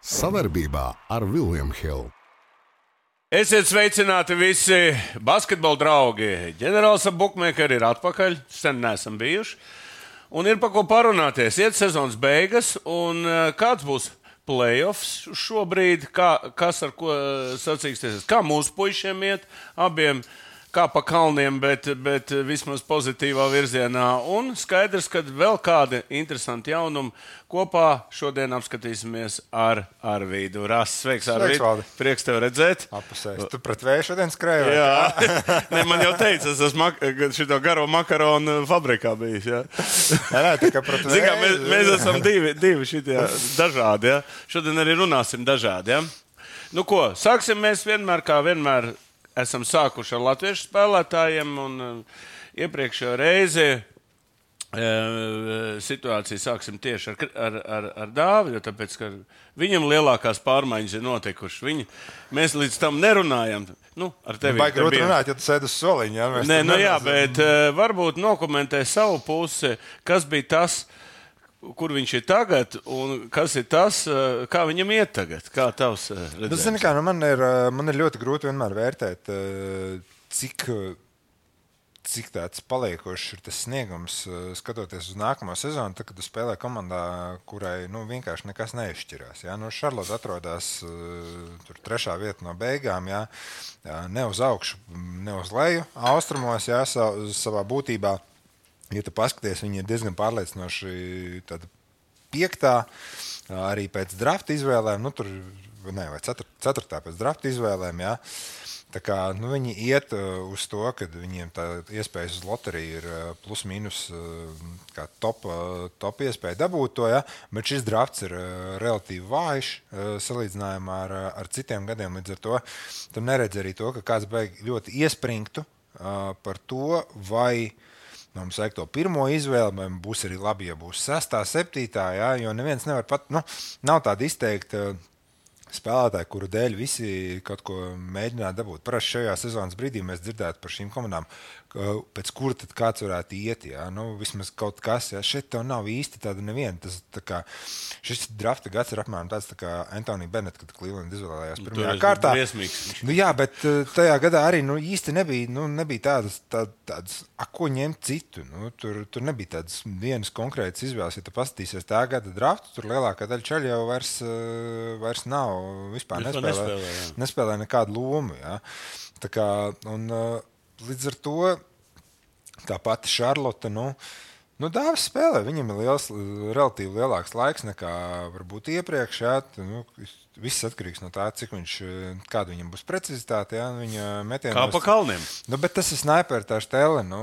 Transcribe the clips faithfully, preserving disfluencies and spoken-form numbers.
Savarbībā ar William Hill. Esiet sveicināti visi basketbola draugi. Ģenerālis ap bukmēkeri ir atpakaļ, sen neesam bijuši. Un ir pa ko parunāties. Iet sezonas beigas, un kāds būs playoffs šobrīd, kā, kas ar ko sacīksties, kā mūsu puišiem iet, abiem, kā pa kalniem, bet, bet vismaz pozitīvā virzienā. Un skaidrs, ka vēl kādi interesanti jaunumi kopā šodien apskatīsimies ar Arvīdu Rasu. Sveiks, Arvīd! Prieks tev redzēt. Apusēs. Tu pret vēju šodien skrēji? Jā. Ne, man jau teica, es esmu šito garo makaronu fabrikā bijis. Jā. Nē, nē, tā kā pret vēju. Zin, mēs, mēs esam divi, divi šitie dažādi. Jā. Šodien arī runāsim dažādi. Jā. Nu ko, sāksim mēs vienmēr kā vienmēr. Esam sākuši ar latviešu spēlētājiem, un uh, iepriekšējā reize uh, situāciju sāksim tieši ar, ar, ar, ar Dāvidu, tāpēc, ka viņam lielākās pārmaiņas ir notikušas. Viņi, mēs līdz tam nerunājam. Nu, ar tevi. Vai grūti runāt, ja tu sēdi uz soliņa? Ja? Nē, nu jā, bet uh, varbūt nokomentē savu pusi, kas bija tas, kur viņš ir tagad, un kas ir tas, kā viņam iet tagad? Kā tavs redzējums? Zini, kā, nu man, ir, man ir ļoti grūti vienmēr vērtēt, cik, cik tāds paliekošs ir tas sniegums, skatoties uz nākamo sezonu, tad, kad tu spēlē komandā, kurai nu, vienkārši nekas neizšķirās. Ja? Nu, Šarlota atrodas tur trešā vieta no beigām, ja? Ne uz augšu, ne uz leju, austrumos, ja? Savā būtībā. Ja tu paskaties, viņi ir diezgan pārliecinoši tāda piektā, arī pēc drafta izvēlēm, nu tur, ne, vai ceturtā pēc drafta izvēlēm, jā. Tā kā, nu, viņi iet uz to, kad viņiem tā iespējas uz loteriju ir plus mīnus kā top, top iespēja dabūt to, jā, bet šis drafts ir relatīvi vājš salīdzinājumā ar, ar citiem gadiem, līdz ar to tu neredz arī to, ka kāds beig ļoti iespringtu par to, vai mums vajag to pirmo izvēli, vai būs arī labi, ja būs sestā, septītā, jā, jo neviens nevar pat, nu, nav tāda izteikta spēlētāji, kuru dēļ visi kaut ko mēģinātu dabūt. Parasti šajā sezonas brīdī mēs dzirdētu par šīm komandām, pēc kura tad kāds varētu iet, jā, nu, vismaz kaut kas, jā, šeit tev nav īsti tāda neviena. Tas, tā kā, šis drafta gads ir apmēram tāds, tā kā Anthony Bennett, kad Cleveland izvēlējās pirmajā kārtā. Nu, jā, bet tajā gadā arī, nu, īsti nebija, nu, nebija tādas, tā, tādas, a, ko ņemt citu, nu, tur, tur nebija tādas vienas konkrētas izvēles, ja tu paskatīsies tā gada draftu, tur lielākā daļa čaļi jau vairs, vairs nav, vispār nespēlē, nespēlē, nespēlē nekādu lomu, jā. Tā kā, un līdz ar to tā pati Šarlota, nu, nu Dāvis spēlē, viņam ir liels, relatīvi lielāks laiks nekā varbūt iepriekš, jā, nu, viss atkarīgs no tā, cik viņš, kāda viņam būs precizitāte, jā, viņa metienos. Kā pa kalniem. Nu, bet tas ir snaiper, tā štele, nu,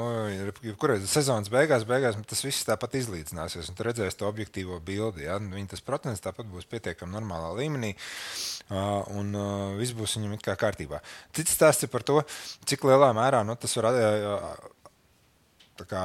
kurai sezonas beigās, beigās tas viss tāpat izlīdzināsies, un tu redzēsi to objektīvo bildi, jā, viņa tas procents tāpat būs pietiekami normālā līmenī, un viss būs viņam it kā kārtībā. Cits stāsts ir par to, cik lielā mērā, nu, tas var tā kā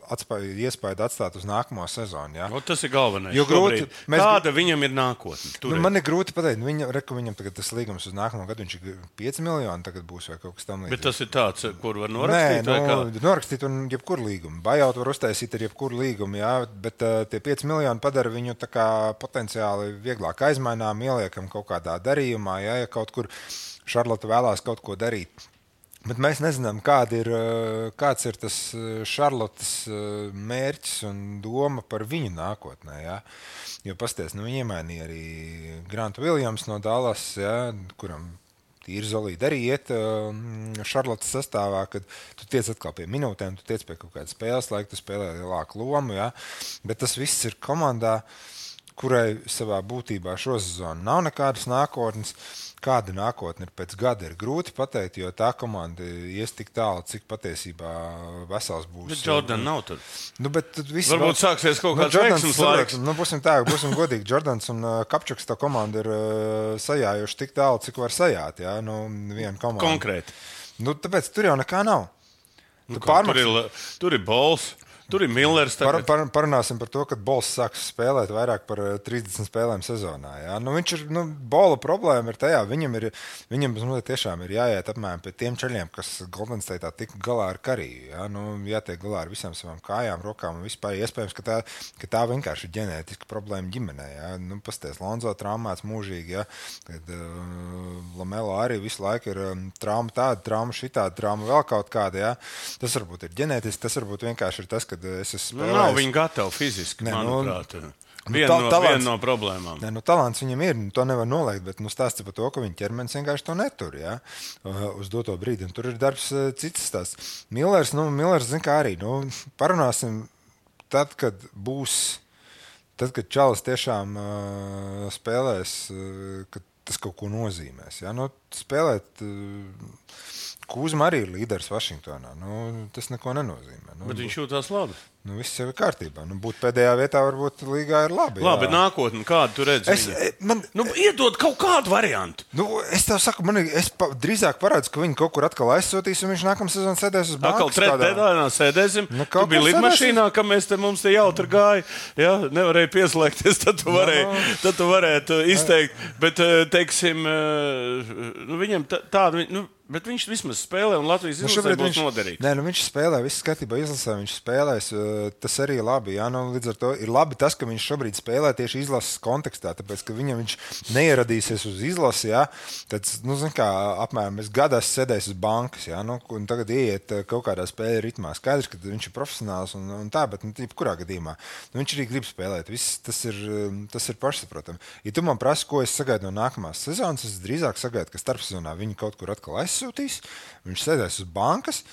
atspēju, iespēju atstāt uz nākamo sezonu. Ja? O, tas ir galvenais. Jo grūti, mēs... Kāda viņam ir nākotne? Nu, man ir grūti pateikt. Viņa, reku, viņam tagad tas līgums uz nākamo gadu, viņš ir pieci miljoni, tagad būs vai kaut kas tam līdzīgs. Bet tas ir tāds, kur var norakstīt? Nē, nu, norakstīt un jebkuru līgumu. Buyout var uztaisīt ar jebkuru līgumu, jā, bet uh, tie pieci miljoni padara viņu tā kā potenciāli vieglāk aizmainām, ieliekam kaut kādā darījumā, jā, ja kaut kur Šarlota vēlās kaut ko darīt. Bet mēs nezinām, kāda ir, kāds ir tas Šarlotas mērķis un doma par viņu nākotnē. Ja? Jo pasties, nu, viņi iemainīja arī Grantu Williams no Dallas, ja? Kuram tīri zolīdi arī iet Šarlotas sastāvā, kad tu tiec atkal pie minūtēm, tu tiec pie kaut kādas spēles laika, tu spēlē lielāku lomu. Ja? Bet tas viss ir komandā, kurai savā būtībā šo sezonu nav nekādas nākotnes. Kāda nākotne ir pēc gada, ir grūti pateikt, jo tā komanda ies tik tālu, cik patiesībā vesels būs. Bet Jordan nav tur. Nu, bet viss varbūt vēl... sāksies kaut kāds nu, veiksmes laiks. Nu, būsim tā, būsim godīgi. Jordans un uh, Kapčuks tā komanda ir uh, sajājuši tik tālu, cik var sajāt, jā, nu, viena komanda. Konkrēti. Nu, tāpēc tur jau nekā nav. Nu, kā, pārmaks... tur, ir, tur ir bols. Tur ir Millers. Par, par, parunāsim par to, ka Bols sāks spēlēt vairāk par trīsdesmit spēlēm sezonā. Ja? Nu, viņš ir, nu, Bola problēma ir tajā, viņam, ir, viņam nu, tiešām ir jāiet apmēram pie tiem ceļiem, kas Golden State'ā tika galā ar Kariju. Ja? Nu, jātiek galā ar visām savām kājām, rokām un vispār. Iespējams, ka tā, ka tā vienkārši ir ģenētiska problēma ģimenē. Ja? Nu, pasties, Lonzo traumēts mūžīgi, ja? Kad uh, Lamelo arī visu laiku ir um, trauma tāda, trauma šitāda, trauma vēl kaut kāda. Ja? Tas varbūt ir ģenētiski, tas varbūt vienkārši ir tas, kad es esmu spēlējis. Nu, nav viņi gatavi fiziski, ne, manuprāt. Nu, viena, ta, no, talants, viena no problēmām. Ne, nu, talants viņam ir, to nevar noliegt, bet nu, stāsts par to, ka viņa ķermenis vienkārši to netur, ja? Uz doto brīdi. Un tur ir darbs cits stāsts. Millers, nu, Millers zin kā arī, nu, parunāsim tad, kad būs, tad, kad Čalis tiešām uh, spēlēs, uh, kad tas kaut ko nozīmēs. Ja? Nu, spēlēt... Uh, Kūzma arī ir līderis Vašingtonā. Nu, tas neko nenozīmē. Nu, bet viņš jūtās labi. Nu, viss jau ir kārtībā. Nu, būt pēdējā vietā varbūt līgā ir labi. Labi, jā. bet nākotnē kādu tu redzi? Es, man, nu, iedod kaut kādu variantu. Nu, es tev saku, man es pa, drīzāk paredzu, ka viņi kaut kur atkal aizsūtīs, un viņš nākamā sezonā sēdēs uz bankas. Atkal trešdienā sēdēsim. Nu, tu biji lidmašīnā, ka mēs te mums te jautri gāja. Ja? Nevarēja pieslēgties, tad tu, varēji, no, no. Tad tu varētu izteikt. Bet, teiksim, nu, viņam tādu... Nu, bet viņš vismaz spēlē, un Latvijas izlasē nu, būs noderīgs. Nē, nu viņš spēlē, viss skatībā izlasē, viņš spēlēs. Tas arī ir labi. Jā, nu, līdz ar to ir labi tas, ka viņš šobrīd spēlē tieši izlases kontekstā, tāpēc, ka viņam viņš neieradīsies uz izlasi, jā, tad, nu, zin kā, apmēram es gadās sēdēs uz bankas, jā, nu, un tagad ieiet kaut kādā spēļu ritmā. Skaidrs, ka viņš ir profesionāls un, un tā, bet, nu, kurā gadījumā, nu, viņš arī grib spēlēt. Viss, tas ir, tas ir pašsaprotami. Ja tu man prasi, ko es sagaidu no nākamās sezonas, es drīzāk sagaidu, ka starpsezonā viņi kaut kur atkal aizsūtīs, viņš sēdēs uz bankas,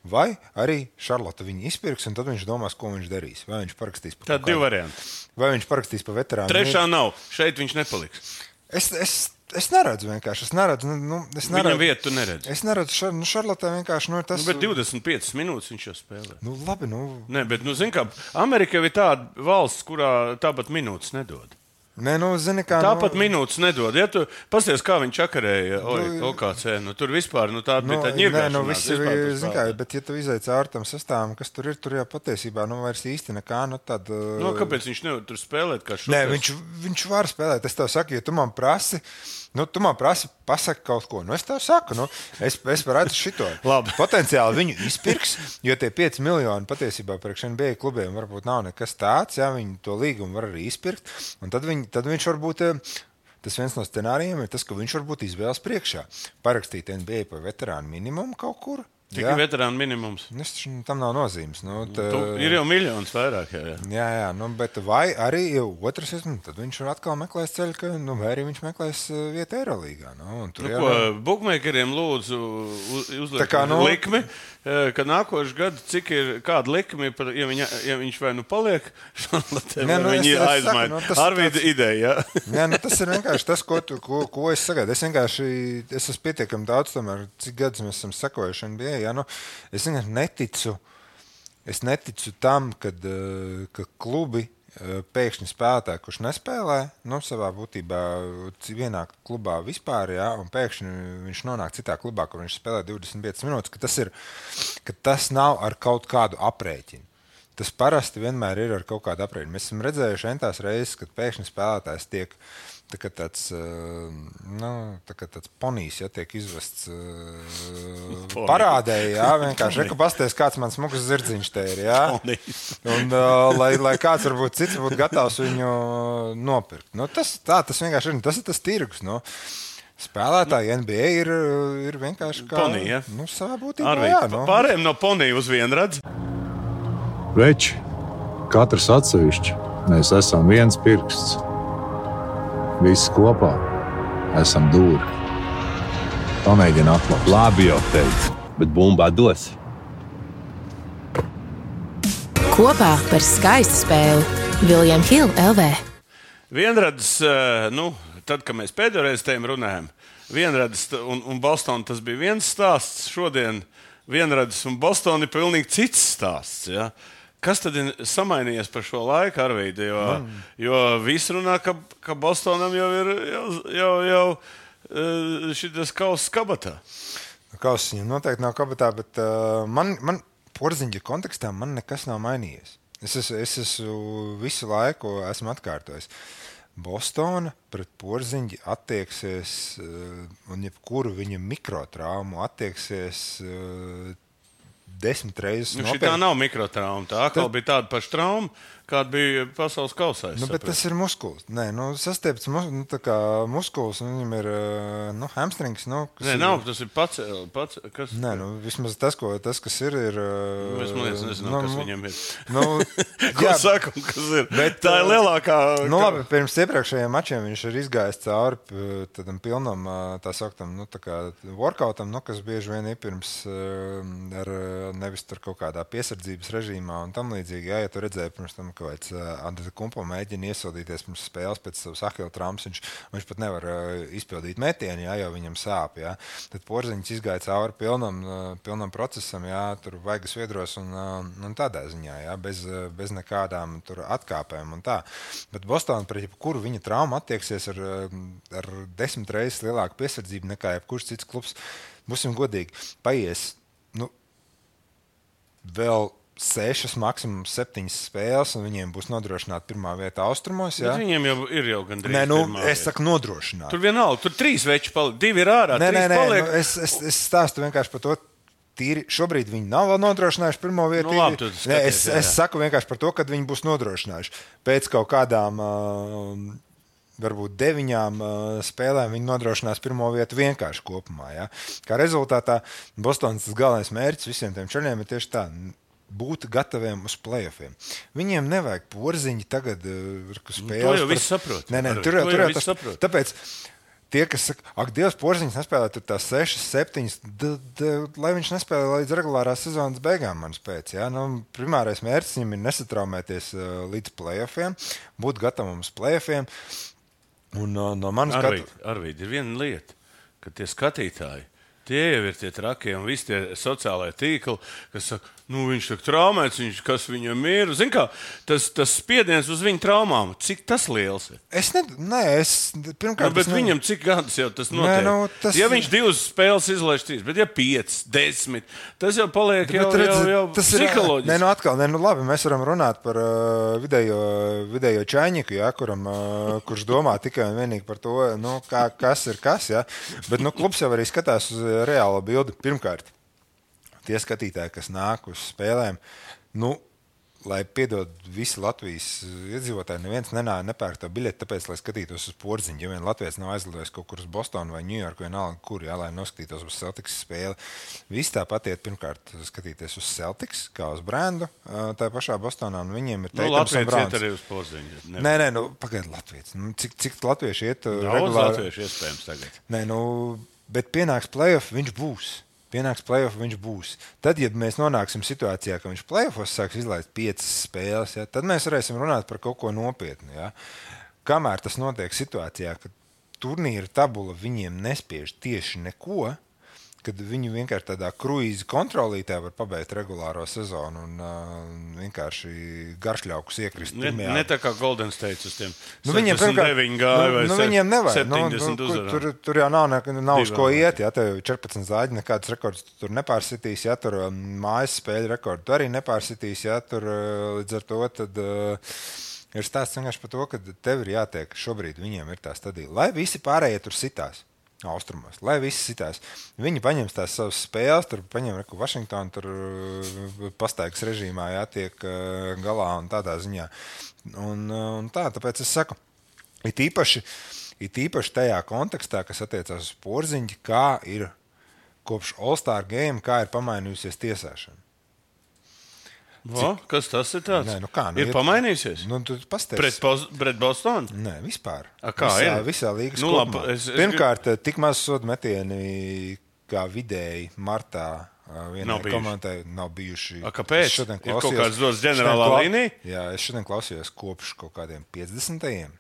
vai arī Šarlota viņu izpirks, un tad viņš domās, ko viņš darīs. Vai viņš parakstīs par Tad divi varianti. Vai viņš parakstīs par veterānu. Trešā nav. Šeit viņš nepaliks. Es, es, es neredzu vienkārši. Es neredzu, nu, es neredzu. Viņam vietu tu neredzi. Es neredzu, šar, nu, Šarlotā vienkārši, nu, tas... Nu, bet divdesmit piecas minūtes viņš jau spēlē. Nu, labi, nu... Nē, bet, nu, zin kā, Amerika ir tāda valsts, kurā tāpat minūtes nedod. Nē, nu, zini, kā, Tāpat nu, minūtes nedod. Ja tu pasties, kā viņš čakarēja O K C, nu, tur vispār nu, tāda nu, bija tāda ņirgāšanās. Nē, nu, viss ir, zini kā, bet ja tu izaic caur tam sastāvam, kas tur ir, tur jau patiesībā, nu, vairs īsti nekā, nu, tad... Nu, kāpēc viņš nevar tur spēlēt kā šoties? Nē, viņš, viņš var spēlēt. Es tev saku, ja tu man prasi, nu, tu man prasi pasaki kaut ko. Nu, es tev saku, nu, es, es redzu šito. Potenciāli viņu izpirks, jo tie pieci miljoni patiesībā priekš N B A klubiem varbūt nav nekas tāds, jā, viņi to līgumu var arī izpirkt, un tad, viņi, tad viņš varbūt, tas viens no scenārijiem ir tas, ka viņš varbūt izvēlas priekšā parakstīt N B A par veterānu minimumu kaut kur. Cik ir veterāna minimums? Es, tam nav nozīmes. Nu, tā, tu, ir jau miljons vairāk. Jā, jā. jā, jā nu, bet vai arī jau otrs, nu, tad viņš atkal meklēs ceļu, ka, nu, vai arī viņš meklēs vietu Eirolīgā. Nu, nu, jau... ko, bukmēkeriem lūdzu uzliek nu... likmi, ka nākošu gadu, cik ir kāda likmi, ja, viņa, ja viņš vai nu paliek, ne, nu, viņi aizmaina. Nu, Arvīda tāds... ideja, jā. Nē, nu, tas ir vienkārši tas, ko, tu, ko, ko es sagaidu. Es vienkārši, es esmu pietiekami daudz, tomēr, cik gadus mēs esam sekojuši N B A. Ja, nu, es vienkārši neticu, es neticu tam, kad, ka klubi pēkšņi spēlētāji, kurš nespēlē, nu, savā būtībā vienā klubā vispār, ja, un pēkšņi viņš nonāk citā klubā, kur viņš spēlē divdesmit piecas minūtes, ka tas, ir, ka tas nav ar kaut kādu aprēķinu. Tas parasti vienmēr ir ar kaut kādu aprēķinu. Mēs esam redzējuši entās reizes, kad pēkšņi spēlētājs tiek tā kā tāds, nu, tā kā tāds ponijs, ja, tiek izvests uh, parādē, jā, vienkārši, reku pasties, kāds man smukas zirdziņš te ir, jā, un uh, lai, lai kāds varbūt cits būtu gatavs viņu nopirkt. Nu, tas, tā, tas vienkārši ir, tas ir tas tirgus, nu. Spēlētāji N B A ir, ir vienkārši kā, ponī, ja? Nu, savā būtībā, Arvīd, jā. Nu. Pārējiem no ponija uz vienu redz. Veči, katrs atsevišķi, mēs esam viens pirksts. Visi kopā esam dūri. Pamēģini atklāt. Labi jau teicu, bet bumbā dos. Kopā par skaistu spēli William Hill L V. Vienradis, nu, tad, kad mēs pēdējoreiz tiem runājam, vienradis un, un Boston tas bija viens stāsts. Šodien vienradis un Boston ir pilnīgi cits stāsts, ja? Kas tad ir samainījies par šo laiku, Arvīdi? Jo, mm. jo visi runā, ka, ka Bostonam jau ir jau, jau, jau šitas kauss kabatā. Kauss viņam noteikti nav kabatā, bet uh, man, man Porziņa kontekstā man nekas nav mainījies. Es esmu, es esmu visu laiku esmu atkārtojis. Bostona pret Porziņu attieksies un jebkuru viņa mikrotraumu attieksies desmit reizes. Nu, šī tā nav mikrotrauma. Tā atkal bija tāda paša trauma, kāda bija pasaules kausā. Nu, bet tas ir muskulis. Nē, nu, sastiepts mus, nu, tā kā muskulis, un viņam ir nu, hamstrings. Nu, Nē, ir, nav, tas ir pats. pats kas... Nē, nu, vismaz tas, ko, tas, kas ir, ir... Nu, es liekas, nezinu, nu, kas viņam ir. Nu, ko jā, saka, kas ir? Bet, tā ir lielākā... Nu, labi, pirms iepriekšējiem mačiem viņš ir izgājis cauri tādam pilnam, tā saktam, nu, tā kā workoutam, nu, kas bieži vien ir pirms ar nevis tur kaut kādā piesardzības režīmā un tam līdzīgi. Jā, ja tu redzēji pirms tam, ka vairs Antetokounmpo mēģina iesildīties pirms spēles pēc savas ahila traumas, viņš, viņš pat nevar izpildīt metienu, jā, jo viņam sāp. Jā. Tad Porziņš izgāja cauri pilnam, pilnam procesam, jā, tur vaigas viedros un, un tādā ziņā, jā, bez, bez nekādām tur atkāpēm un tā. Bet Bostona pret jebkuru viņa traumu attieksies ar, ar desmit reizes lielāku piesardzību nekā jebkurš cits klubs. Būsim godīgi, paies, nu, vēl sešas, maksimums septiņas spēles, un viņiem būs nodrošināta pirmā vieta austrumos. Jā? Bet viņiem jau ir jau gandrīz nē, nu, pirmā es vieta. saku nodrošināt. Tur vienalga, tur trīs veči paliek, divi ir ārā, nē, trīs nē, nē, paliek. Nu, es, es, es stāstu vienkārši par to, tīri, šobrīd viņi nav vēl nodrošinājuši pirmo vietu. Nu, labi, skaties, nē, es, jā, jā. es saku vienkārši par to, kad viņi būs nodrošinājuši. Pēc kaut kādām... Uh, varbūt deviņām uh, spēlēm viņi nodrošinās pirmo vietu vienkārši kopumā. Ja? Kā rezultātā Bostonas galvenais mērķis visiem tiem čaļiem ir tieši tā, būt gataviem uz playoffiem. Viņiem nevajag Porziņi tagad uh, spēles. To jau viss saprot. Nē, nē, Ar, tur jau, to tur jau jau viss tas saprot. Tāpēc tie, kas saka, ak, Dievs, Porziņš nespēlē tur tās sešas, septiņas, d, d, lai viņš nespēlē līdz regulārās sezonas beigām, manas pēc. Ja? Nu, primārais mērķis viņam ir nesatraumēties uh, līdz playoffiem, būt gatavam uz playoffiem. Un, uh, no manas Arvīd, skatu... Arvīd, ir viena lieta, ka tie skatītāji, tie jau ir tie trakie un visi tie sociālai tīkli, kas saka, nu viņš ir traumēts, viņš, kas viņam ir. Zini kā, tas, tas spiediens uz viņa traumām, cik tas liels ir? Es ne, nē, es pirmkārt... Nu, bet es ne... viņam cik gadus jau tas notiek? Nē, nu, tas... Ja viņš divas spēles izlaiž trīs, bet ja piecas, desmit, tas jau paliek jau, redz, jau, jau tas psiholoģiski. Ir, nē, nu atkal, nē, nu labi, mēs varam runāt par uh, vidējo, vidējo čaņiku, ja, kuram, uh, kurš domā tikai un vienīgi par to, nu, kā, kas ir kas, ja. Bet nu, klubs jau arī skatās uz reālo bildi. Pirmkārt, tie skatītāji, kas nāk uz spēlēm, nu, lai piedod visi Latvijas iedzīvotāji, neviens nenāja nepērk tā biļeti, tāpēc, lai skatītos uz Porziņu. Ja vien Latvijas nav aizlidojis kaut kur uz Bostonu vai Ņujorku, vienalga kur, jā, lai noskatītos uz Celtics spēli. Visi tāpat iet pirmkārt skatīties uz Celtics, kā uz brendu, tā pašā Bostonā, un viņiem ir Nu, Teitams un Latvijas Brauns. iet arī uz Porziņu. Nē, nē, nu, pagaid Latvijas. Nu, cik, cik latvieši iet Daudz regulāri? latviešu iespējams tagad. Nē, nu, bet pienāks playoff, viņš būs. Pienāks playoff, viņš būs. Tad, ja mēs nonāksim situācijā, ka viņš playoffos sāks izlaist piecas spēles, ja, tad mēs varēsim runāt par kaut ko nopietnu. Ja. Kamēr tas notiek situācijā, ka turnīra tabula viņiem nespiež tieši neko, kad viņi vienkārši tādā kruīza kontrolītē var pabeigt regulāro sezonu un uh, vienkārši garšļaukus iekrist. Ne, pirmajā. ne tā kā Golden State uz tiem Nu, viņiem sešdesmit deviņi gāja vai nu, nu, viņiem nevajag. Nu, septiņdesmit nu, uzvarām. tur, tur jau nav, ne, nav uz Divi ko vēl. iet. Ja, tev četrpadsmit zāģi, nekādas rekords tur nepārsitīs. Ja, tur um, mājas spēļu rekordu tu arī nepārsitīs. Ja, tur, uh, līdz ar to tad, uh, ir stāsts vienkārši par to, ka tev ir jātiek šobrīd viņiem ir tā stadija. Lai visi pārējie tur sitās. Austrumos, lai visi sitās. Viņi paņems tās savas spēles, tur paņem reku Vašingtonu, tur pastaigas režīmā jātiek galā un tādā ziņā. Un, un tā, tāpēc es saku, it īpaši, it īpaši tajā kontekstā, kas attiecās uz Porziņu, kā ir kopš All-Star game, kā ir pamainījusies tiesāšana. O, kas tas ir tāds? Nē, nu kā, nu, ir ir- pamainījusies? Nu, tu pasties. Pret, Bos- pret Bostonu? Nē, vispār. A, kā visā, ir? visā līgas Nu, labi, kopumā. es- es Pirmkārt, tik maz sodu metieni kā vidēji martā ā, vienai Nav bijuši. komandai nav bijuši. A, kāpēc? Es šodien Ir kaut klausījos- kāds dots šodien ģenerālā klau- līnija? Jā, es šodien klausījos kopš kaut kādiem piecdesmitajiem.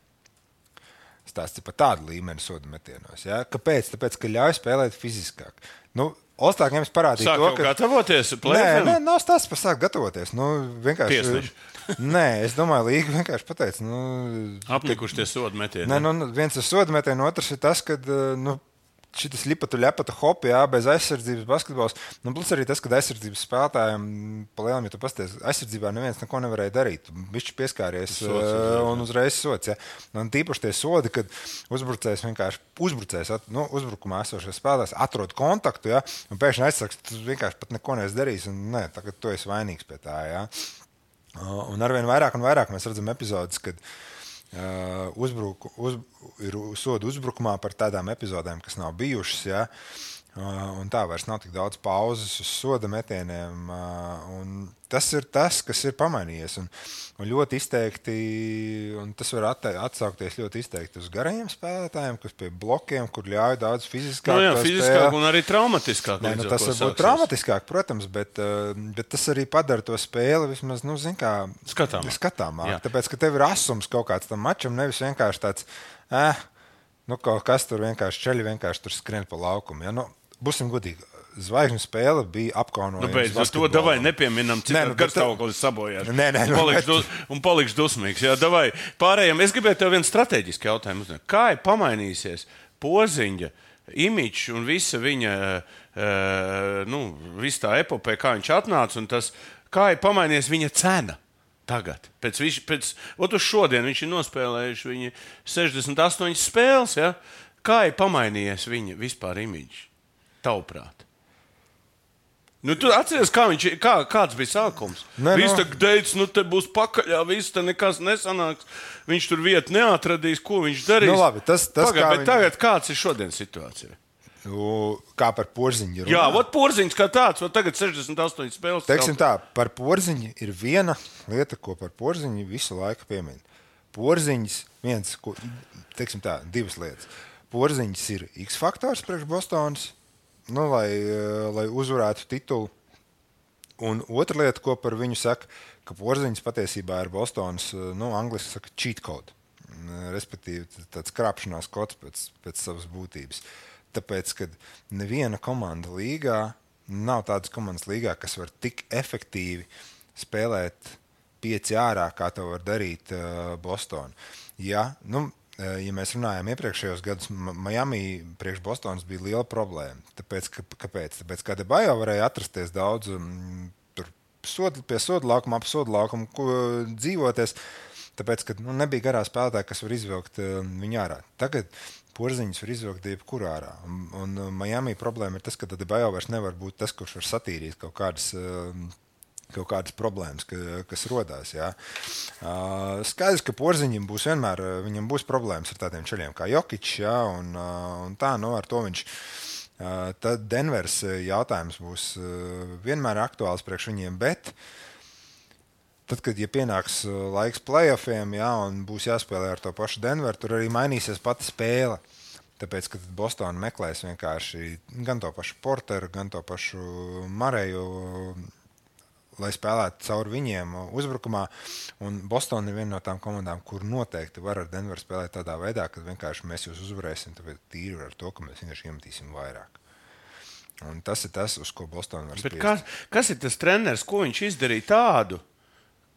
Stāsts ir par tādu līmeni sodu metienos. Ja? Kāpēc? Tāpēc, ka ļauj spēlēt fiziskāk. Nu, All-Star games parādīja Sāk to, jau ka... gatavoties Nē, play-offiem? nē, nav stāsts par sākt gatavoties. Nu, vienkārši... Tiesneši. Nē, es domāju, līga vienkārši pateica. Nu, Apnikuši tie sodu metieni. Nē, nu, viens ir soda metiens, otrs ir tas, ka nu, šitas lipatu, ļepatu hopi, jā, bez aizsardzības basketbols. Nu, plus arī tas, ka aizsardzības spēlētājiem, palielam, ja tu pasties, aizsardzībā neviens neko nevarēja darīt. Bišķi pieskāries sots, un uzreiz sots, jā. Un tīpaši tie sodi, kad uzbrucējs vienkārši uzbrucējs, nu, uzbrukumā esošais spēlētājs atrod kontaktu, jā, un pēkšņi aizsargs, tu vienkārši pat neko neesi darījis, un nē, tagad tu esi vainīgs pie tā, jā. Un arvien vairāk un vairāk mēs redzam epizodes, kad Uh, uzbruku, uz, ir sodu uzbrukumā par tādām epizodēm, kas nav bijušas, ja? uh, un tā vairs nav tik daudz pauzes uz soda metieniem. Uh, un tas ir tas, kas ir pamainījies. Un, un ļoti izteikti, un tas var atte, atsaukties ļoti izteikti uz garajiem spēlētājiem, kas pie blokiem, kur ļauj daudz fiziskāk. Nu jā, fiziskāk un arī traumatiskāk. Nē, nu, tas var būt traumatiskāk, protams, bet, uh, bet tas arī padara to spēli vismaz, nu, zin kā, skatāmāk. skatāmāk tāpēc, ka tev ir asums kaut kāds tam mačam, nevis vienkārši tāds, eh, nu, kaut kas tur vienkārši ceļi, vienkārši tur skrien pa laukumu. Ja? Nu, būsim godīgi. Zvaigžņu spēle bija apkaunojama. Nu, beidz, uz to davai nepieminam, cik nu, garstāvoklis sabojās. Nē, nē, un palikš, bet... dus, un palikš dusmīgs. Jā, davai. Pārējiem, es gribēju tev vienu strateģisku jautājumu uzdot. Kā ir pamainīsies Porziņa imidžs un visa viņa, uh, nu, visa tā epopē, kā viņš atnāca, un tas, kā ir pamainījies viņa cena tagad? Pēc, viņš, pēc, ot uz šodien viņš ir nospēlējuši viņa sešdesmit astoņas spēles, ja? Kā ir pamainījies viņa vispār imidžs? Tavuprāt. Nu, tu atceries, kā viņš, kā, kāds bija sākums? Ne, viss no. tā teica, nu te būs pakaļā, viss te nekas nesanāks. Viņš tur vietu neatradīs, ko viņš darīs. Nu, labi, tas, tas Pagad, kā bet viņi... tagad kāds ir šodien situācija? Nu, kā par Porziņu runā? Jā, vot Porziņš kā tāds, vot tagad sešdesmit astoņas spēles. Teiksim tā, par Porziņu ir viena lieta, ko par Porziņu visu laiku piemin. Porziņš viens, ko, teiksim tā, divas lietas. Porziņš ir X-faktors priekš Bostonas. Nu, lai, lai uzvarētu titulu. Un otra lieta, ko par viņu saka, ka Porziņš patiesībā ir Bostonas, nu, angliski saka, cheat code. Respektīvi, tāds krāpšanās kods pēc, pēc savas būtības. Tāpēc, ka neviena komanda līgā, nav tādas komandas līgā, kas var tik efektīvi spēlēt pieci ārā, kā to var darīt uh, Bostona. Ja, nu, Ja mēs runājam iepriekšējos gadus, Miami priekš Bostonas bija liela problēma. Tāpēc, ka, kāpēc? Tāpēc, ka Adebayo varēja atrasties daudz um, tur sodu, pie sodu laukuma, ap sodu laukumu dzīvoties, tāpēc, ka nu, nebija garā spēlētāja, kas var izvilkt um, viņu ārā. Tagad Porziņš var izvilkt jebkur ārā. Un, un Miami problēma ir tas, ka Adebayo vairs nevar būt tas, kurš var satīrīt kaut kādas... Um, kaut kādas problēmas, ka, kas rodās. Jā. Uh, skaidrs, ka Porziņam būs vienmēr viņam būs problēmas ar tādiem ceļiem kā Jokičs, jā, un, uh, un tā, nu, ar to viņš. Uh, tad Denvers jautājums būs uh, vienmēr aktuāls priekš viņiem, bet tad, kad ja pienāks laiks playoffiem, jā, un būs jāspēlē ar to pašu Denveru, tur arī mainīsies pati spēle. Tāpēc, ka Bostona meklēs vienkārši gan to pašu Porteru, gan to pašu Mareju, lai spēlētu cauri viņiem uzbrukumā. Un Bostona ir viena no tām komandām, kur noteikti var ar Denveru spēlēt tādā veidā, ka vienkārši mēs jūs uzvarēsim, tāpēc tīri ar to, ka mēs vienkārši iemetīsim vairāk. Un tas ir tas, uz ko Bostona var spiest. Kas, kas ir tas treneris, ko viņš izdarīja tādu,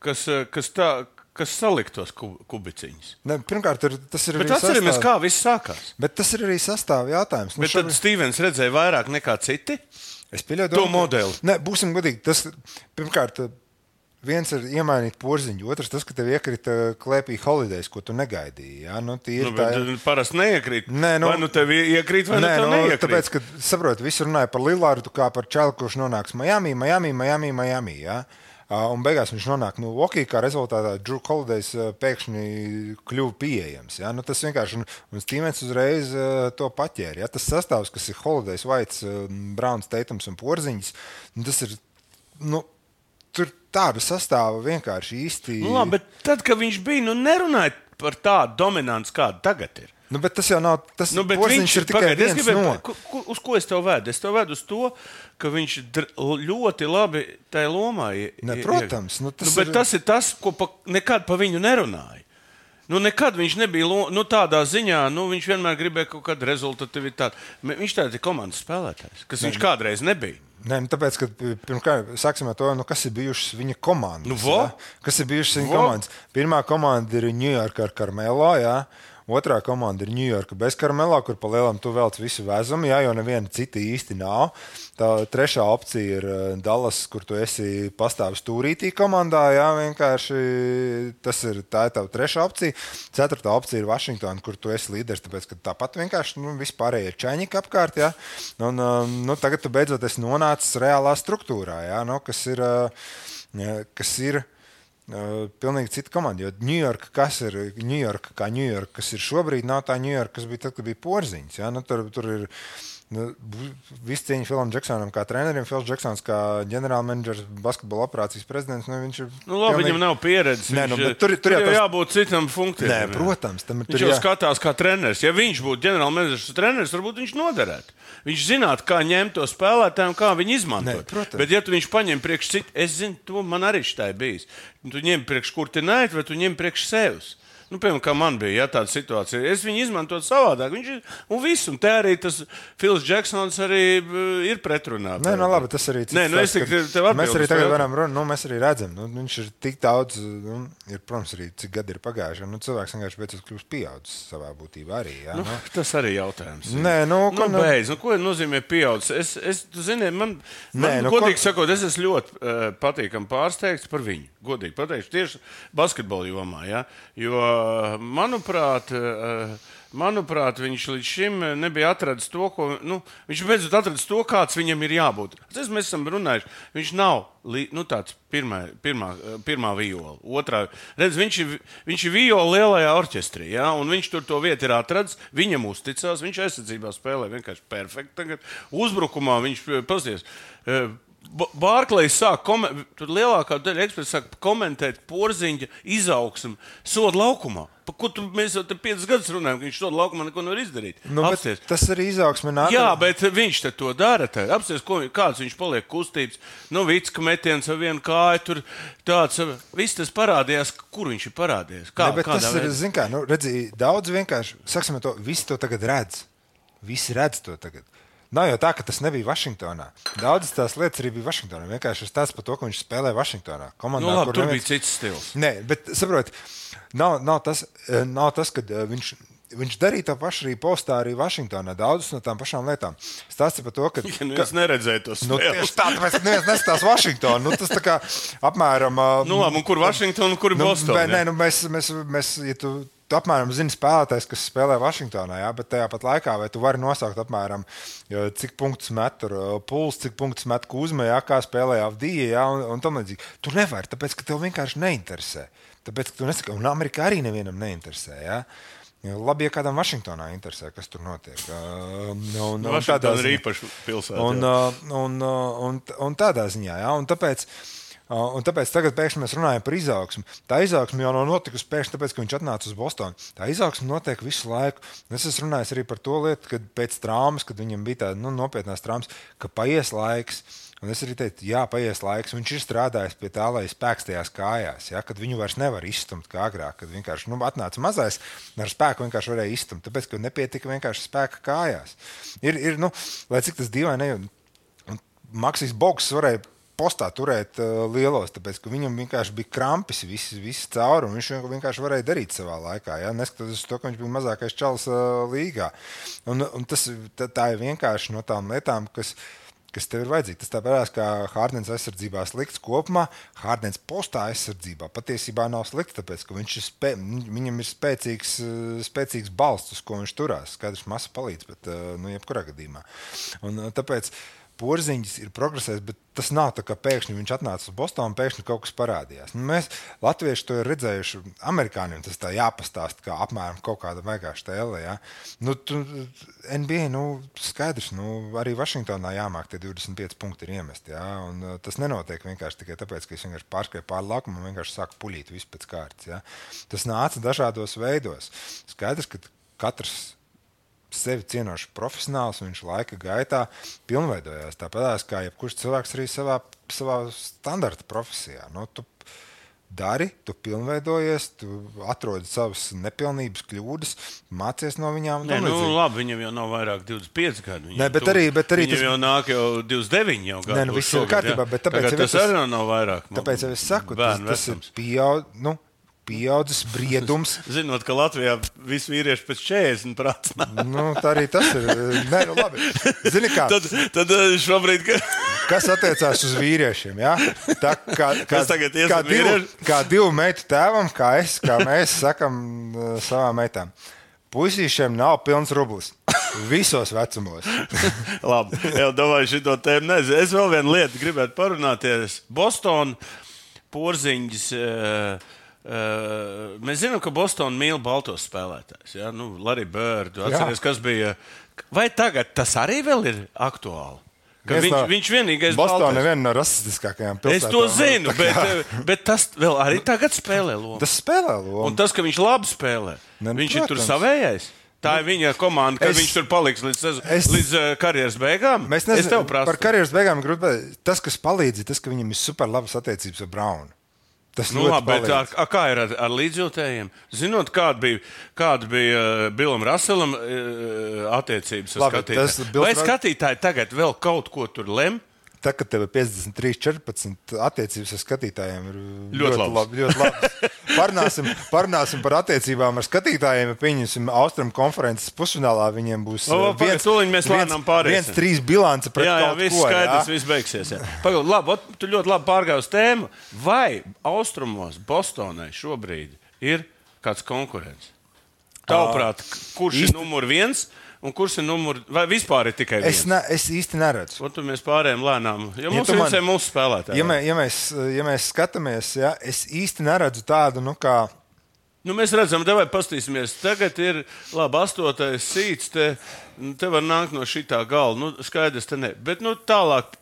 kas, kas, tā, kas saliktos kubiciņus? Ne, pirmkārt, ir, tas ir Bet arī atceramies, sastāv... kā viss sākās. Bet tas ir arī sastāv jautājums. Bet nu, tad šobrīd... Stevens redzēja vairāk nekā citi? Es pieļauju to modeli. Ne, būsim godīgi. Tas, pirmkārt, viens ir iemainīt Porziņu, otrs tas, ka tev iekrita klēpī Holidays, ko tu negaidīji. Ja? Nu, nu, bet tā... parasti neiekrīt. Nē, nu, vai nu tev iekrīt, vai nē, nu tev nu, neiekrīt. Tāpēc, ka, saprot, visi runāja par Lillardu kā par čelu, kurš nonāks Miami, Miami, Miami, Miami. Ja? Un beigās viņš nonāk Milwaukee, kā rezultātā Drew Holidays pēkšņi kļuva pieejams. Ja? Nu, tas vienkārši, un, un Stevens uzreiz uh, to paķēra. Ja? Tas sastāvs, kas ir Holidays, Whites, uh, Browns, Tatums un Porziņš, nu, tas ir, nu, tur tādu sastāvu vienkārši īsti... Nu, labi, bet tad, kad viņš bija, nu, nerunāja par tādu dominanci, kāda tagad ir. Nu, bet tas jau nav. Tas nu, Porziņš ir tikai pagaid, viens gribēju, no. Ku, ku, uz ko es tev vedu? Es tev vedu uz to, ka viņš ļoti labi tajā lomā ir. Ne, protams. Nu, tas, nu, bet ir... tas ir tas, ko pa, nekad pa viņu nerunāja. Nu, nekad viņš nebija nu, tādā ziņā, nu, viņš vienmēr gribēja kaut kādu rezultatīvitāti. Viņš tāds ir komandas spēlētājs, kas ne, viņš kādreiz nebija. Nē, nu, tāpēc, ka pirmkārt, sāksim ar to, nu, kas ir bijušas viņa komandas. Nu, ja? Kas ir bijušas viņa komandas? Pirmā komanda ir New York ar Carmelo, jā. Otrā komanda ir Ņujorka bez Karmelo, kur pa lielam tu velc visu vezumu, jā, jo neviena cita īsti nav. Tā trešā opcija ir Dallas, kur tu esi pastāvis stūrītī komandā, jā, vienkārši tas ir, tā ir tava trešā opcija. Ceturtā opcija ir Vašingtona, kur tu esi līderis, tāpēc, ka tāpat vienkārši nu, vispārējie čaņiki apkārt, jā. Un nu, tagad tu beidzot esi nonācis reālā struktūrā, jā, nu, kas ir, kas ir Uh, pilnīgi cita komanda, jo Ņujorka, kas ir Ņujorka, kā Ņujorka, kas ir šobrīd, nav tā Ņujorka, kas bija tad, kad bija Porziņš. Ja? Nu, tur, tur ir nu, viss cieņa Filam Džeksonam kā trenerim, Fils Džeksons kā ģenerālmenedžers, basketbola operācijas prezidents. Nu, viņš ir nu, labi, pilnīgi... viņam nav pieredzes. Nē, nu, tur, tur, tur jau tas... jābūt citam funkcijam. Nē, protams. Tam, viņš jau jā... skatās kā treneris. Ja viņš būtu ģenerālmenedžers treneris, varbūt viņš noderētu. Viņš zinātu, kā ņemt to spēlētāju un kā viņu izmantot. Nē, bet, ja tu viņš paņem priekš citu, es zinu, to man arī šitai bijis. Tu ņem priekš kurtinēt, vai tu ņem priekš sevis. Nu, piemēram, kā man bija, ja tāda situācija. Es viņu izmantotu savādāk. Viņš ir, un viss, un te arī tas Fils Džeksons arī ir pretrunā. Nē, no labi, tas arī cits. Nē, nu, es tik tev atbildu. Mēs arī tagad varam runāt, nu, mēs arī redzam, nu, viņš ir tik daudz, nu, ir, protams, arī cik gadi ir pagājuši. Nu, cilvēks vienkārši beidzot kļūst pieaudzis savā būtībā arī, jā. Nu, nu. Tas arī jautājums. Nē, nu, nu, nu beidz, nu, ko nozīmē pieaudzis? Es, es, tu zini, man, man Nē, nu, godīgi ko... sakot, es esmu ļoti uh, patīkam pārsteigts par viņu. Godīgi pateikšu, tieši basketbola jomā, jā. Jo, manu Manuprāt, manuprāt, viņš līdz šim nebija atradis to, ko. Nu, viņš beidzot atradis to, kāds viņam ir jābūt. Tas mēs esam runājuši. Viņš nav nu, tāds pirmā, pirmā, pirmā viola. Otrā. Redz, viņš ir, viņš ir viola lielajā orķestrī, ja? Un viņš tur to vietu ir atradis. Viņam uzticās, viņš aizsardzībā spēlē vienkārši perfekti. Tagad uzbrukumā viņš pasties. Bārklejs sāk komentēt, tur lielākā daļa eksperti sāk komentēt Porziņa izaugsmu soda laukumā. Pa ko tu, mēs jau te piecas gadus runājam, ka viņš soda laukumā neko nevar izdarīt. Nu, tas arī izaugsme nāk. Jā, bet viņš te to dara. Apsties, ko, kāds viņš paliek kustības. Nu, vicka metiens ar vienu kāju, tur tāds, viss tas parādījās, kur viņš ir parādījies. Kā, ne, bet tas ir, zin kā, nu, redzi, daudz vienkārši, saksim to, visi to tagad redz. Visi redz to tagad. Nav jau tā, ka tas nebija Vašingtonā. Daudzas tās lietas arī bija Vašingtonā. Vienkārši ir tāds par to, ka viņš spēlē Vašingtonā. Komandā, nu, labi, tur neviens... bija cits stils. Nē, bet saprot, nav, nav tas, nav tas ka viņš, viņš darīja to pašu arī postā arī Vašingtonā. Daudzas no tām pašām lietām. Stāsti par to, ka... Ja, nu, es neredzēju to spēles. Nu, tieši tā, tāpēc neviens neskatās Vašingtonu. Nu, tas tā kā apmēram... Nu, labi, un kur Vašingtona un kur nu, Bostona? Nē, nu, mēs, mēs, mēs, ja tu... Tu apmēram zini spēlētājs, kas spēlē Vašingtonā, jā, bet tajā pat laikā vai tu vari nosaukt apmēram, cik punktus met tur Puls, cik punktus met Kuzma, jā, kā spēlē Avdija, jā, un, un tam līdzīgi. Tu nevari, tāpēc, ka tev vienkārši neinteresē. Tāpēc, ka tu nesaki, un Amerikā arī nevienam neinteresē, jā. Labi, ja kādam Vašingtonā interesē, kas tur notiek. Un, un, un Vašingtona ir īpaši pilsēta. Un, un, un, un, un tādā ziņā, jā, un tāpēc... Un tāpēc tagad pēkšņi mēs runājam par izaugsmu. Tā izaugsme jau nav notikusi pēkšņi tāpēc, ka viņš atnāca uz Bostonu. Tā izaugsme notiek visu laiku. Es esmu runājis arī par to lietu, kad pēc traumas, kad viņam bija tāda nu, nopietnās traumas, ka paies laiks. Un es arī teicu, jā, paies laiks. Viņš ir strādājis pie tā, lai spēks tajās kājās, ja, kad viņu vairs nevar izstumt kā agrāk. Kad vienkārši nu, atnāca mazais, ar spēku vienkārši varēja izstumt. Tāpēc, ka nepietika vienkārši spēka kājās. Ir, ir nu, lai cik tas dīvaini, un Maksis Bogs varēja postā turēt uh, lielos, tāpēc, ka viņam vienkārši bija krampis visi, visi cauri, un viņš vienkārši varēja darīt savā laikā, ja? Neskatoties to, ka viņš bija mazākais čalis uh, līgā. Un, un tas, tā, tā ir vienkārši no tām lietām, kas, kas tev ir vajadzīgi. Tas tāpēc, kā Hārdens aizsardzībā slikts kopumā, Hārdens postā aizsardzībā patiesībā nav slikts, tāpēc, ka viņš ir spē, viņam ir spēcīgs, spēcīgs balsts, uz ko viņš turās. Skaidrs, masa palīdz, bet uh, nu, jebkurā gadījumā. Un uh, tāpēc Porziņš ir progresējis, bet tas nav tā, ka pēkšņi viņš atnāca uz Bostonu un pēkšņi kaut kas parādījās. Nu, mēs, latvieši, to ir redzējuši, amerikāņiem tas tā jāpastāst, kā apmēram kaut kāda vienkārši tēle. Ja? Nu, tu, N B A, nu, skaidrs, nu, arī Vašingtonā jāmāk tie divdesmit pieci punkti ir iemesti. Ja? Un, uh, tas nenotiek vienkārši tikai tāpēc, ka es vienkārši pārskrēju pāri laukumu un vienkārši sāku puļīt visu pēc kārtas. Ja? Tas nāca dažādos veidos. Skaidrs, ka katrs sevi cienošs profesionāls, viņš laika gaitā pilnveidojās. Tāpēc, kā jebkurš cilvēks arī savā, savā standarta profesijā. Nu, tu dari, tu pilnveidojies, tu atrodi savas nepilnības, kļūdas, mācies no viņām. Nē, nu, labi, viņam jau nav vairāk divdesmit pieci gadi. Nē, bet arī, bet arī viņam tas... jau nāk jau divdesmit deviņi jau gadu. Nē, nu, viss ir kārtībā, bet tāpēc... Tagad tas arī nav vairāk. Tāpēc jau es saku, tas, tas ir pieaud... Nu, pieaudzis briedums. Zinot, ka Latvijā visi vīrieši pēc četrdesmit prāts. Nu, tā arī tas ir. Nē, nu labi. Zini kā? Tad, tad šobrīd... Ka... Kas attiecās uz vīriešiem, ja? Tā kā, kā, tagad kā, divu, kā divu meitu tēvam, kā es, kā mēs sakam uh, savām meitām. Puisīšiem nav pilns rublis. Visos vecumos. Labi, jau domāju šito tēmu. Nezinu. Es vēl vienu lietu gribētu parunāties. Boston, Porziņģis... Uh, Uh, mēs zinām, ka Bostonā mīl baltos spēlētājus. Ja? Nu, Larry Bird, atceries, kas bija. Vai tagad tas arī vēl ir aktuāli? Viņš, no, viņš vienīgais Bostonā ir viena no rasistiskākajām pilsētām. Es to zinu, bet, bet tas vēl arī tagad spēlē lomu. Tas spēlē lomu. Un tas, ka viņš labi spēlē, ne, viņš protams. Ir tur savējais. Tā ir viņa komanda, ka es, viņš tur paliks līdz, es, līdz uh, karjeras beigām. Mēs nezinām, par karjeras beigām grūti. Tas, kas palīdz, ir tas, ka viņam ir super labas attiecības ar Braunu. Tas nu, labi, bet ar, ar, kā ir ar, ar līdzjūtējiem? Zinot, kāda bija, kāda bija uh, Billam Russellam uh, attiecības ar skatītājiem. Vai skatītāji tagad vēl kaut ko tur lem? Tā, kad tev ir piecdesmit trīs četrpadsmit attiecības ar skatītājiem, ir ļoti, ļoti labi. Ļoti labi. Parunāsim, parunāsim par attiecībām ar skatītājiem. Ja pieņemsim Austrum konferences pusfinālā, viņiem būs o, viens, viens, viens trīs bilance pret jā, jā, kaut viss ko. Skaidrs, viss beigsies. Pagaid, labi, tu ļoti labi pārgāji uz tēmu. Vai Austrumos Bostonai šobrīd ir kāds konkurents? Tavuprāt, kurš ir numur viens? Un kurš ir numurs, vai vispār ir tikai viens? Es, ne, es īsti neredzu. Un tur mēs pārējām lēnām, jo mums ja man, ir mūsu spēlētāji. Ja, mē, ja, mēs, ja mēs skatāmies, ja, es īsti neredzu tādu, nu kā... Nu, mēs redzam, te vai pastīsimies, tagad ir, labi, astotais sīts, te, te var nākt no šitā gala, nu, skaidrs te ne, bet, nu, tālāk...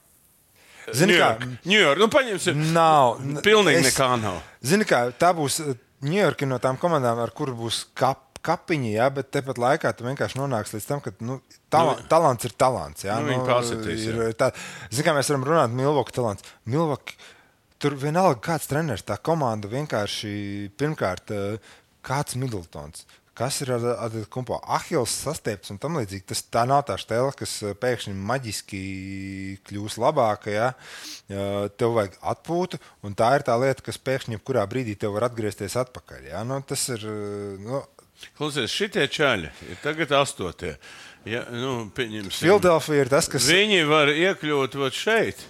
Zini kā? New York, nu, paņemsim, nav, pilnīgi es, nekā nav. Zini kā, tā būs New York no tām komandām, ar kuru būs kap. Kapiņi, jā, bet tepat laikā tu vienkārši nonāks līdz tam, ka nu, tala, nu, talants ir talants. Jā, nu, nu, ir, tā, zin, kā mēs varam runāt, Milwaukee talants. Milwaukee, tur vienalga kāds treneris, tā komanda vienkārši, pirmkārt, kāds Middletons, kas ir ar, ar kumpo Ahils sastiepts un tam līdzīgi. Tas, tā nav tā štela, kas pēkšņi maģiski kļūs labāka, jā. Tev vajag atpūtu, un tā ir tā lieta, kas pēkšņi kurā brīdī tev var atgriezties atpakaļ. Jā. Nu, tas ir... Nu, Klausies, šitie čaļi ir tagad astotie. Ja, nu, Philadelphia ir tas, kas... Viņi var iekļūt vat šeit.